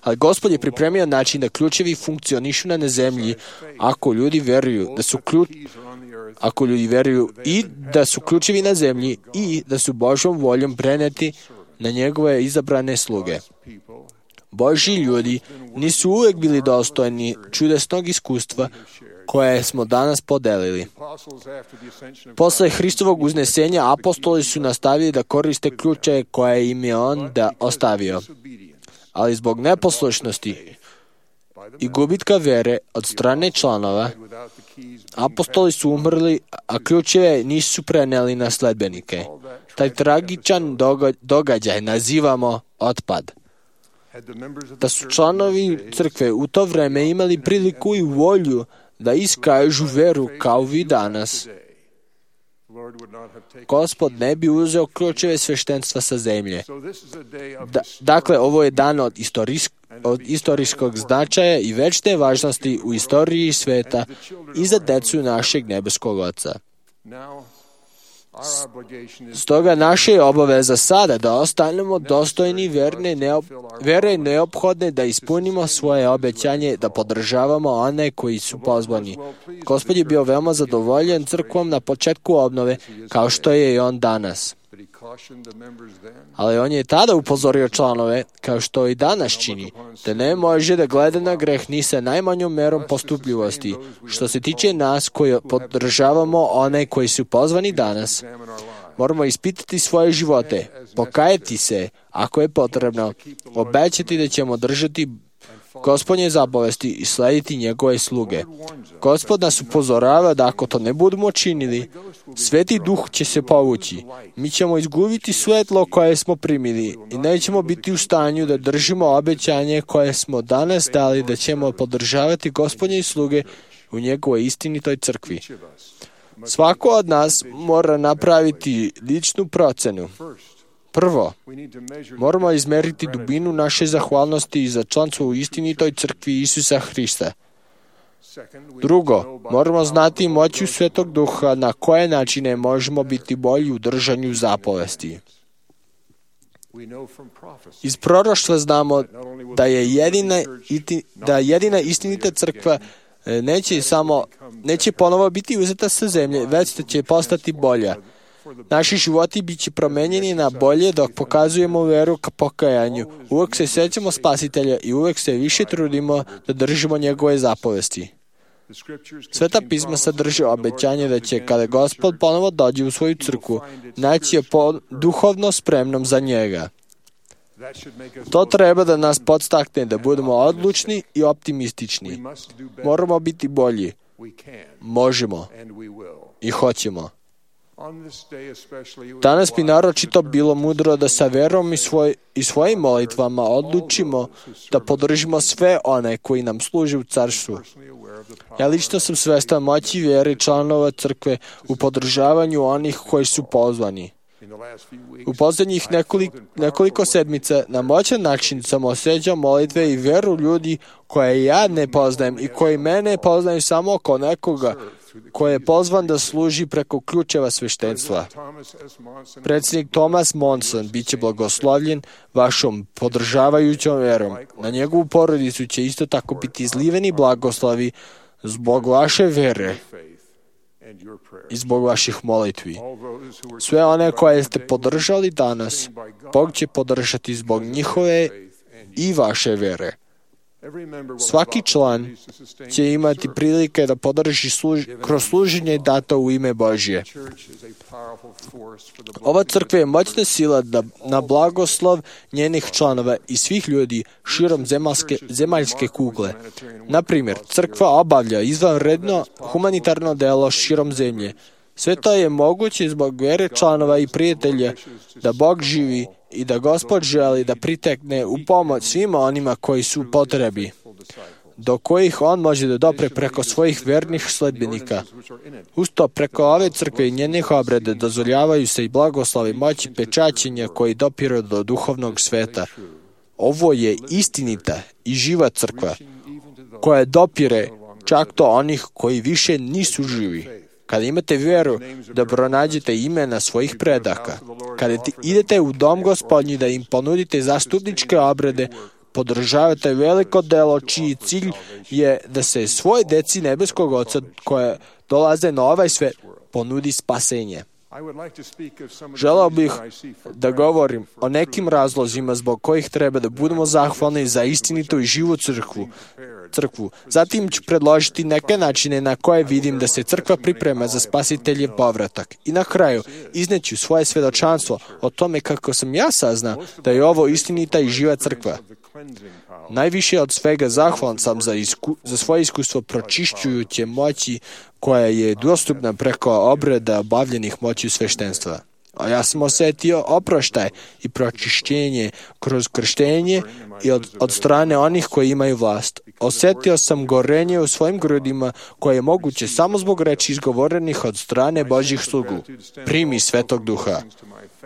Ali Gospod je pripremio način da ključevi funkcionišu na zemlji ako ljudi veruju i da su ključevi na zemlji i da su Božjom voljom preneti na njegove izabrane sluge. Božji ljudi nisu uvijek bili dostojni čudesnog iskustva koje smo danas podelili. Posle Hristovog uznesenja apostoli su nastavili da koriste ključe koje im je on ostavio. Ali zbog neposlušnosti i gubitka vere od strane članova, apostoli su umrli, a ključeve nisu preneli na sledbenike. Taj tragičan događaj nazivamo otpad. Da su članovi crkve u to vreme imali priliku i volju da iskažu veru kao vi danas, Gospod ne bi uzeo ključeve sveštenstva sa zemlje. Dakle, ovo je dan od istorijskog značaja i večne važnosti u istoriji sveta i za decu našeg nebeskog Oca. Stoga naša je obaveza sada da ostanemo dostojni vere neophodne da ispunimo svoje obećanje, da podržavamo one koji su pozvani. Gospod je bio veoma zadovoljen crkvom na početku obnove, kao što je i on danas. Ali on je tada upozorio članove, kao što i danas čini, da ne može da gleda na greh ni sa najmanjom merom postupljivosti. Što se tiče nas koji podržavamo one koji su pozvani danas, moramo ispitati svoje živote, pokajati se ako je potrebno, obećati da ćemo držati Gospodnje zapovesti i slediti njegove sluge. Gospod nas upozorava da ako to ne budemo činili, Sveti Duh će se povući. Mi ćemo izgubiti svetlo koje smo primili i nećemo biti u stanju da držimo obećanje koje smo danas dali, da ćemo podržavati Gospodnje sluge u njegovoj istinitoj crkvi. Svako od nas mora napraviti ličnu procenu. Prvo, moramo izmeriti dubinu naše zahvalnosti za članstvo u istinitoj crkvi Isusa Hrista. Drugo, moramo znati moću Svetog Duha na koje načine možemo biti bolji u držanju zapovesti. Iz proroštva znamo da je jedina istinita crkva neće ponovo biti uzeta sa zemlje, već da će postati bolja. Naši životi bit će promenjeni na bolje dok pokazujemo veru ka pokajanju. Uvek se sećamo Spasitelja i uvek se više trudimo da držimo njegove zapovesti. Sveta pisma sadrže obećanje da će, kada Gospod ponovo dođe u svoju crkvu, naći je duhovno spremnom za njega. To treba da nas podstakne da budemo odlučni i optimistični. Moramo biti bolji. Možemo i hoćemo. Danas bi naročito bilo mudro da sa verom i svojim molitvama odlučimo da podržimo sve one koji nam služe u carstvu. Ja lično sam svestan moći vjere članova crkve u podržavanju onih koji su pozvani. U posljednjih nekoliko sedmica na moćan način sam osjećao molitve i veru ljudi koje ja ne poznajem i koji mene poznaju samo oko nekoga koji je pozvan da služi preko ključeva sveštenstva. Predsjednik Thomas Monson bit će blagoslovljen vašom podržavajućom verom. Na njegovu porodicu će isto tako biti izliveni blagoslovi zbog vaše vere i zbog vaših molitvi. Sve one koje ste podržali danas, Bog će podržati zbog njihove i vaše vere. Svaki član će imati prilike da podrži kroz služenje dato u ime Božje. Ova crkva je moćna sila na blagoslov njenih članova i svih ljudi širom zemaljske kugle. Na primjer, crkva obavlja izvanredno humanitarno delo širom zemlje. Sve to je moguće zbog vere članova i prijatelja da Bog živi i da Gospod želi da pritekne u pomoć svima onima koji su u potrebi, do kojih on može da dopre preko svojih vernih sledbenika. Usto preko ove crkve i njenih obreda dozvoljavaju se i blagoslovi moći pečaćenja koji dopiru do duhovnog sveta. Ovo je istinita i živa crkva koja dopire čak do onih koji više nisu živi. Kada imate vjeru da pronađete imena svojih predaka, kada idete u dom Gospodnji da im ponudite zastupničke obrede, podržavate veliko delo čiji cilj je da se svoj deci nebeskog Oca koje dolaze na ovaj svet ponudi spasenje. Želeo bih da govorim o nekim razlozima zbog kojih treba da budemo zahvalni za istinitu i živu crkvu. Zatim ću predložiti neke načine na koje vidim da se crkva priprema za Spasiteljev povratak. I na kraju izneću svoje svedočanstvo o tome kako sam ja saznao da je ovo istinita i živa crkva. Najviše od svega zahvalan sam za svoje iskustvo pročišćujuće moći koja je dostupna preko obreda obavljenih moći sveštenstva. A ja sam osjetio oproštaj i pročišćenje kroz krštenje i od strane onih koji imaju vlast. Osjetio sam gorenje u svojim grudima koje je moguće samo zbog reči izgovorenih od strane Božjih slugu. Primi Svetog Duha.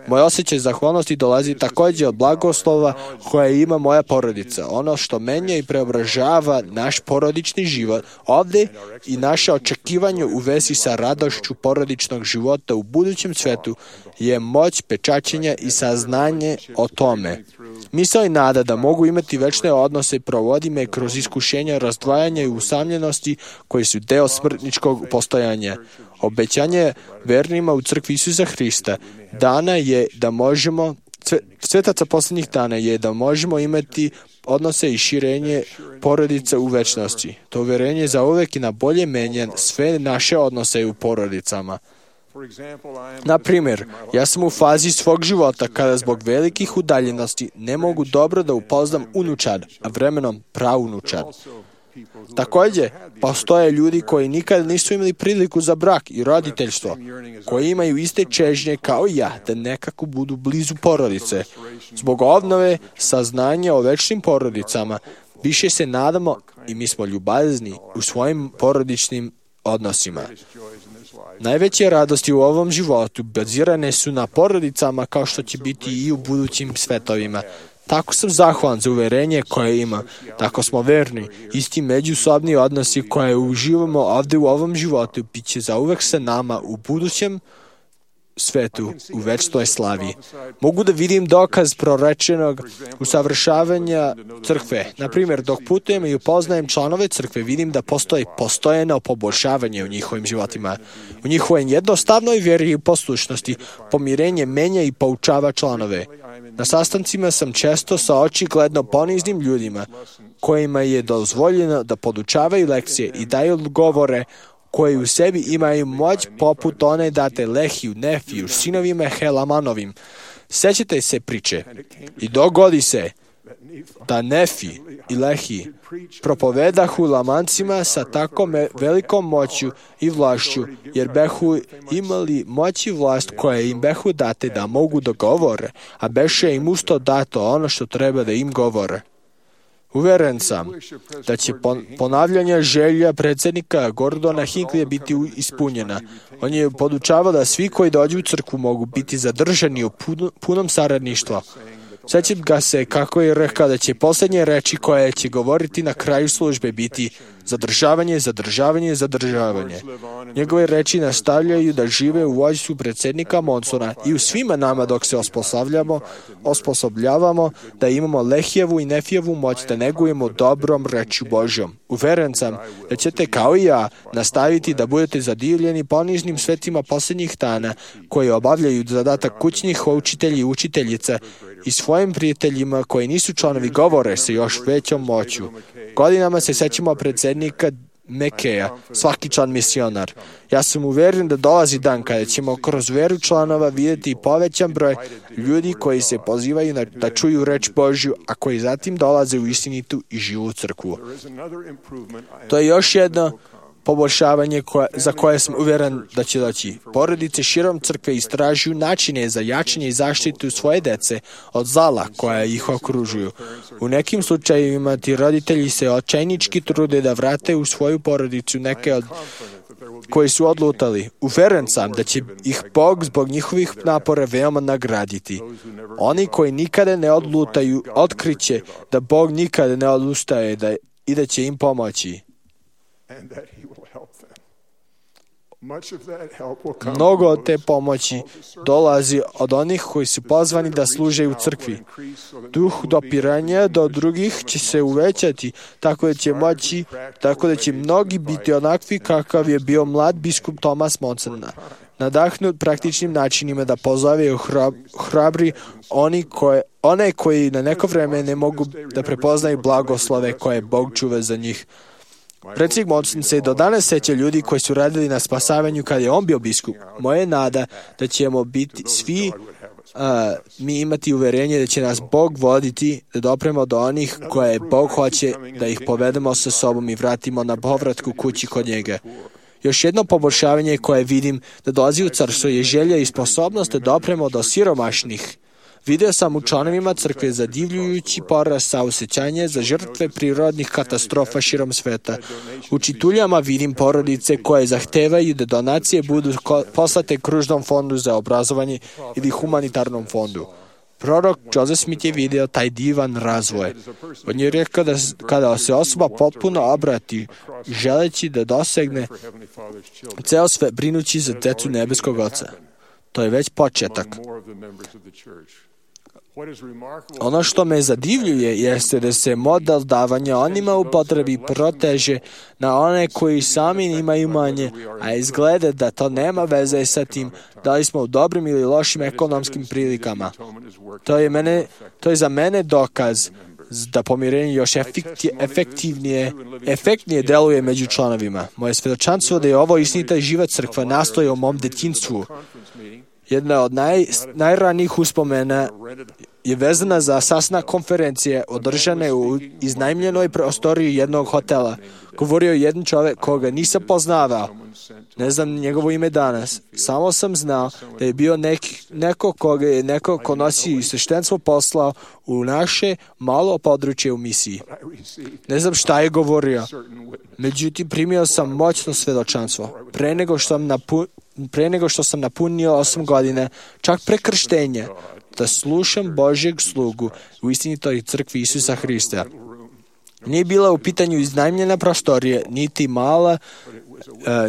Moj osjećaj zahvalnosti dolazi također od blagoslova koje ima moja porodica. Ono što menja i preobražava naš porodični život ovdje i naše očekivanje u vezi sa radošću porodičnog života u budućem svetu je moć pečaćenja i saznanje o tome. Misao i nada da mogu imati večne odnose provodi me kroz iskušenja, razdvajanja i usamljenosti koji su deo smrtničkog postojanja. Obećanje vernima u crkvi Isusa Hrista dana je da možemo, svetaca posljednjih dana je da možemo imati odnose i širenje porodica u večnosti. To uvjerenje zauvek i na bolje menja sve naše odnose u porodicama. Na primjer, ja sam u fazi svog života kada zbog velikih udaljenosti ne mogu dobro da upoznam unučad, a vremenom praunučad. Također, postoje ljudi koji nikad nisu imali priliku za brak i roditeljstvo, koji imaju iste čežnje kao i ja, da nekako budu blizu porodice. Zbog obnove saznanja o večnim porodicama, više se nadamo i mi smo ljubazni u svojim porodičnim odnosima. Najveće radosti u ovom životu bazirane su na porodicama kao što će biti i u budućim svetovima. Tako sam zahvalan za uverenje koje ima. Tako smo verni. Isti međusobni odnosi koje uživamo ovdje u ovom životu bit će zauvek sa nama u budućem svetu u večnoj slavi. Mogu da vidim dokaz prorečenog usavršavanja crkve. Na primjer, dok putujem i upoznajem članove crkve, vidim da postoji postojeno poboljšavanje u njihovim životima. U njihovoj jednostavnoj vjeri i poslušnosti pomirenje menja i poučava članove. Na sastancima sam često sa očigledno poniznim ljudima kojima je dozvoljeno da podučavaju lekcije i daju govore koji u sebi imaju moć poput one date Lehiju, Nefiju, sinovima Helamanovim. Sećate se priče. I dogodi se da Nefi i Lehi propovedahu Lamancima sa tako velikom moću i vlašću, jer behu imali moć i vlast koje im behu date da mogu da govore, a beše im usto dato ono što treba da im govore. Uveren sam da će ponavljanje želja predsjednika Gordona Hinckleyja biti ispunjena. On je podučavao da svi koji dođu u crkvu mogu biti zadržani u punom saradništvu. Sjećam ga se kako je rekao da će posljednje reči koje će govoriti na kraju službe biti zadržavanje, zadržavanje, zadržavanje. Njegove reči nastavljaju da žive u vođstvu predsjednika Monsona i u svima nama dok se osposobljavamo da imamo Lehijevu i Nefijevu moć da negujemo dobrom rečju Božjom. Uveren sam da ćete kao i ja nastaviti da budete zadivljeni poniznim svetima posljednjih dana koji obavljaju zadatak kućnih učitelji i učiteljica i svojim prijateljima koji nisu članovi govore sa još većom moću. Godinama se sećamo predsjednika Mekeja, svaki član misionar. Ja sam uvjeren da dolazi dan kada ćemo kroz veru članova vidjeti povećan broj ljudi koji se pozivaju da čuju reč Božju, a koji zatim dolaze u istinitu i živu crkvu. To je još jedno poboljšavanje za koje sam uvjeren da će doći. Porodice širom crkve istražuju načine za jačanje i zaštitu svoje dece od zala koja ih okružuju. U nekim slučajevima ti roditelji se očajnički trude da vrate u svoju porodicu neke od koji su odlutali. Uvjeren sam da će ih Bog zbog njihovih napora veoma nagraditi. Oni koji nikada ne odlutaju otkriće da Bog nikada ne odustaje i da će im pomoći. Mnogo od te pomoći dolazi od onih koji su pozvani da služe u crkvi. Duh dopiranja do drugih će se uvećati, tako da će mnogi biti onakvi kakav je bio mlad biskup Thomas Monson, nadahnut praktičnim načinima da pozove i hrabri one koji na neko vreme ne mogu da prepoznaju blagoslove koje Bog čuva za njih. Predsjednik Monson se do danas seća ljudi koji su radili na spasavanju kada je on bio biskup. Moja je nada da ćemo biti svi mi imati uverenje da će nas Bog voditi, da dopremo do onih koje Bog hoće da ih povedemo sa sobom i vratimo na povratku kući kod njega. Još jedno poboljšavanje koje vidim da dolazi u carstvo je želja i sposobnost da dopremo do siromašnih. Video sam u članovima crkve zadivljujući porast saosećanja za žrtve prirodnih katastrofa širom sveta. U čituljama vidim porodice koje zahtevaju da donacije budu poslate Kružnom fondu za obrazovanje ili humanitarnom fondu. Prorok Joseph Smith je vidio taj divan razvoj. On je rekao da kada se osoba potpuno obrati, želeći da dosegne ceo sve brinući za decu nebeskog Oca. To je već početak. Ono što me zadivljuje jeste da se model davanja onima u potrebi proteže na one koji sami imaju manje, a izgleda da to nema veze sa tim da li smo u dobrim ili lošim ekonomskim prilikama. To je za mene dokaz da pomirenje još efektnije deluje među članovima. Moje svjedočanstvo da je ovo istinita i živa crkva nastoji u mom detinjstvu. Jedna od najranijih uspomena je vezana za sastanak konferencije održane u iznajmljenoj prostoriji jednog hotela. Govorio je jedan čovjek koga nisam poznavao. Ne znam njegovo ime danas. Samo sam znao da je bio neko koga je neko ko nosi sveštenstvo poslao u naše malo područje u misiji. Ne znam šta je govorio. Međutim, primio sam moćno svjedočanstvo. Pre nego što sam napunio 8 godina, čak pre krštenja, da slušam Božjeg slugu u istinitoj crkvi Isusa Hrista. Nije bila u pitanju iznajmljena prostorija,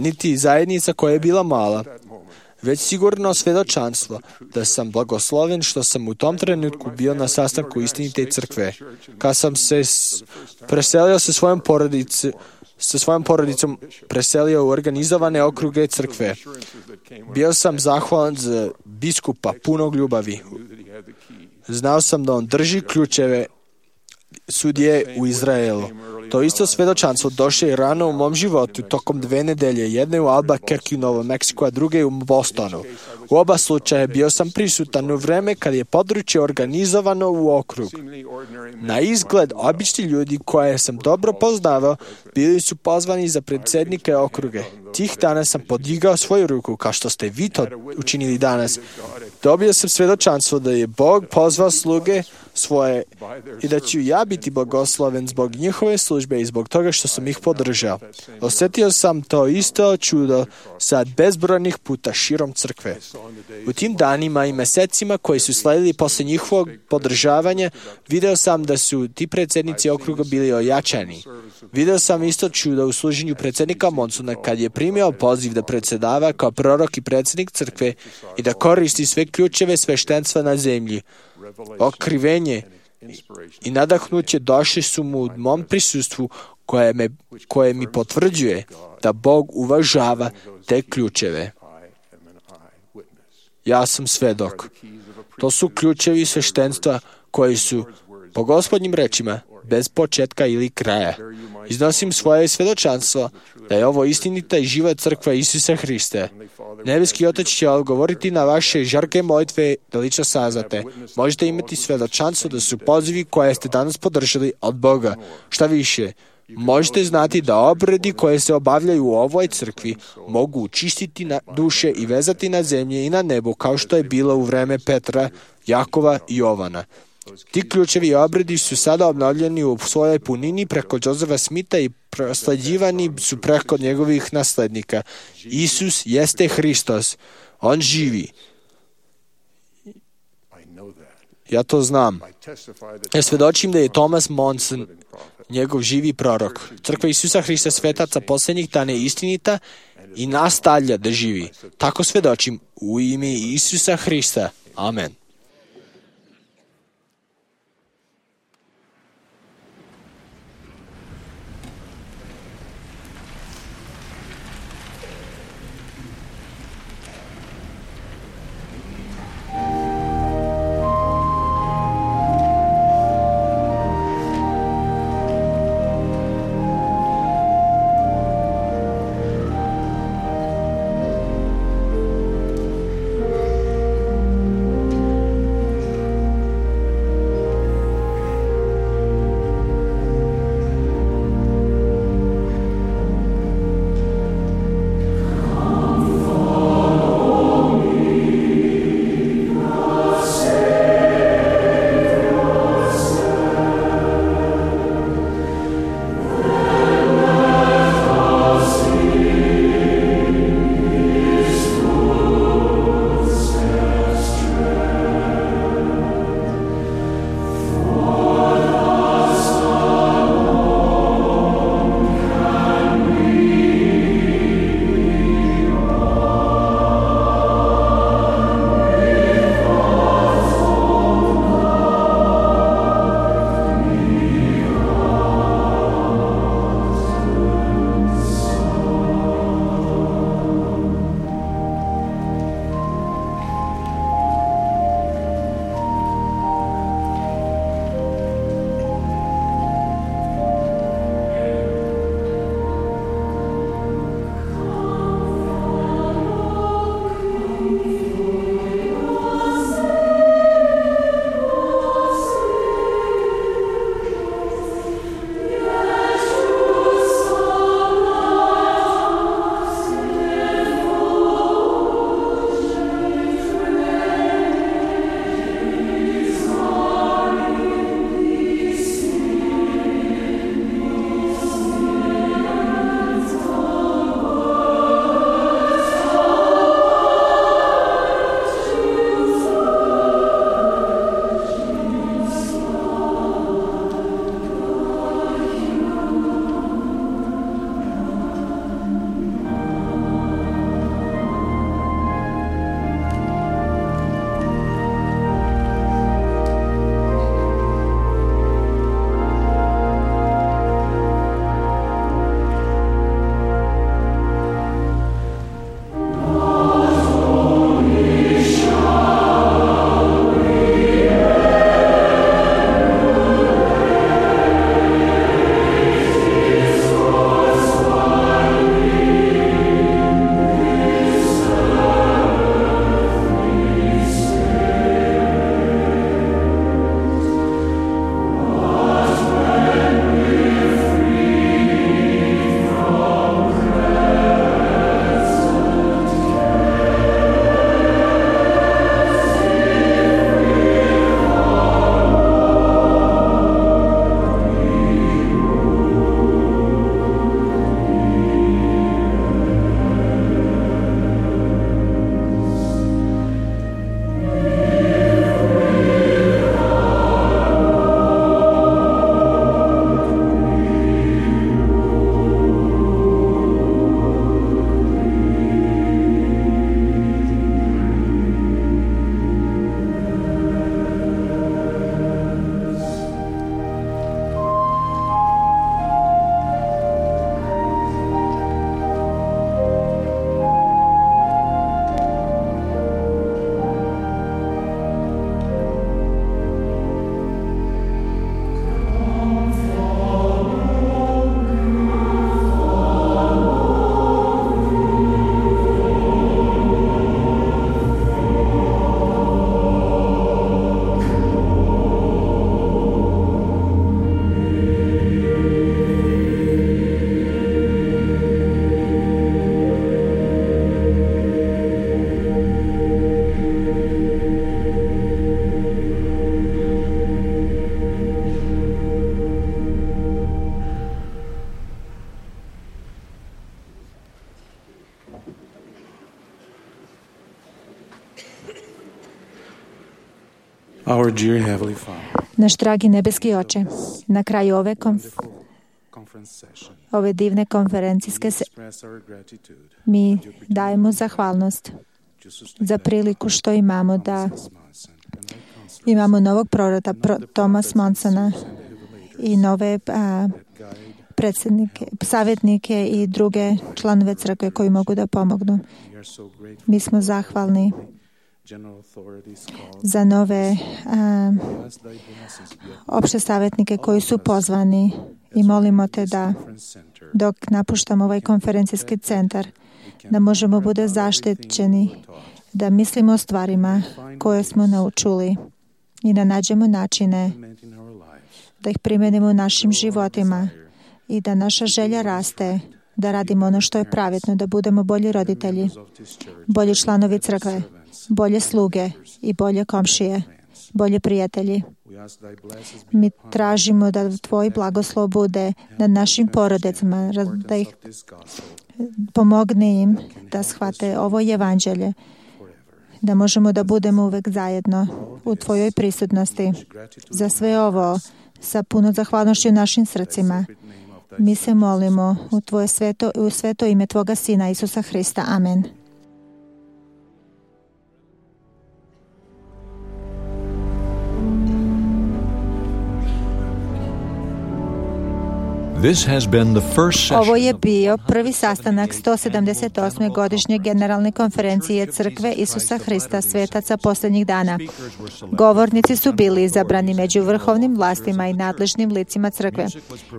niti zajednica koja je bila mala. već sigurno svedočanstvo da sam blagosloven što sam u tom trenutku bio na sastanku istinite crkve. Kad sam se preselio sa svojom porodicom preselio u organizovane okruge crkve. Bio sam zahvalan za biskupa punog ljubavi. Znao sam da on drži ključeve sudije u Izraelu. To isto svedočanstvo došlo je rano u mom životu tokom 2 nedelje, jedne u Albuquerque u Novom Meksiku, a druge u Bostonu. U oba slučaja bio sam prisutan u vreme kad je područje organizovano u okrug. Na izgled, obični ljudi koje sam dobro poznavao bili su pozvani za predsjednike okruge. Tih dana sam podigao svoju ruku, kao što ste vi to učinili danas. Dobio sam svedočanstvo da je Bog pozvao sluge svoje i da ću ja biti blagosloven zbog njihove službe i zbog toga što sam ih podržao. Osjetio sam to isto čudo sad bezbrojnih puta širom crkve. U tim danima i mesecima koji su sledili posle njihovog podržavanja, video sam da su ti predsjednici okruga bili ojačani. Video sam isto čudo u služenju predsjednika Monsona kad je primio poziv da predsjedava kao prorok i predsjednik crkve i da koristi sve ključeve sveštenstva na zemlji. Otkrivenje i nadahnuće došli su mu u mom prisustvu koje mi potvrđuje da Bog uvažava te ključeve. Ja sam svedok. To su ključevi sveštenstva koji su, po Gospodnjim rečima, bez početka ili kraja. Iznosim svoje svedočanstvo da je ovo istinita i živa crkva Isusa Hrista. Nebeski Otac će odgovoriti na vaše žarke molitve da lično saznate. Možete imati svedočanstvo da su pozivi koje ste danas podržali od Boga. Šta više, možete znati da obredi koje se obavljaju u ovoj crkvi mogu učistiti na duše i vezati na zemlji i na nebu kao što je bilo u vreme Petra, Jakova i Jovana. Ti ključevi obredi su sada obnovljeni u svojoj punini preko Josefa Smitha i prosleđivani su preko njegovih naslednika. Isus jeste Hristos. On živi. Ja to znam. Ja svedočim da je Thomas Monson njegov živi prorok. Crkva Isusa Hrista svetaca posljednjih dana je istinita i nastavlja da živi. Tako svedočim u ime Isusa Hrista. Amen. Our dear Heavenly Father, Naš dragi nebeski Oče, na kraju ove divne konferencijske mi dajemo zahvalnost za priliku što imamo da imamo novog proroka Thomas Monsona i nove savjetnike i druge članove crkve koji mogu da pomognu. Mi smo zahvalni za nove opšte savjetnike koji su pozvani i molimo te da dok napuštamo ovaj konferencijski centar da možemo bude zaštićeni, da mislimo o stvarima koje smo naučili i da nađemo načine da ih primenimo u našim životima i da naša želja raste, da radimo ono što je pravedno, da budemo bolji roditelji, bolji članovi crkve, bolje sluge i bolje komšije, bolje prijatelji. Mi tražimo da Tvoj blagoslov bude nad našim porodicama, da ih pomogne im da shvate ovo evanđelje, da možemo da budemo uvek zajedno u Tvojoj prisutnosti. Za sve ovo, sa puno zahvalnošću u našim srcima, mi se molimo u sveto ime Tvoga Sina Isusa Hrista. Amen. Ovo je bio prvi sastanak 178. godišnje generalne konferencije Crkve Isusa Hrista svetaca posljednjih dana. Govornici su bili izabrani među vrhovnim vlastima i nadležnim licima crkve.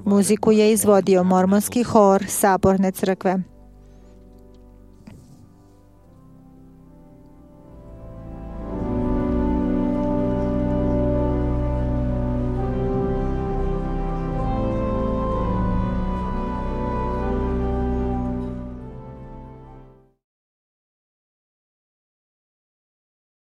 Muziku je izvodio mormonski hor Saborne crkve.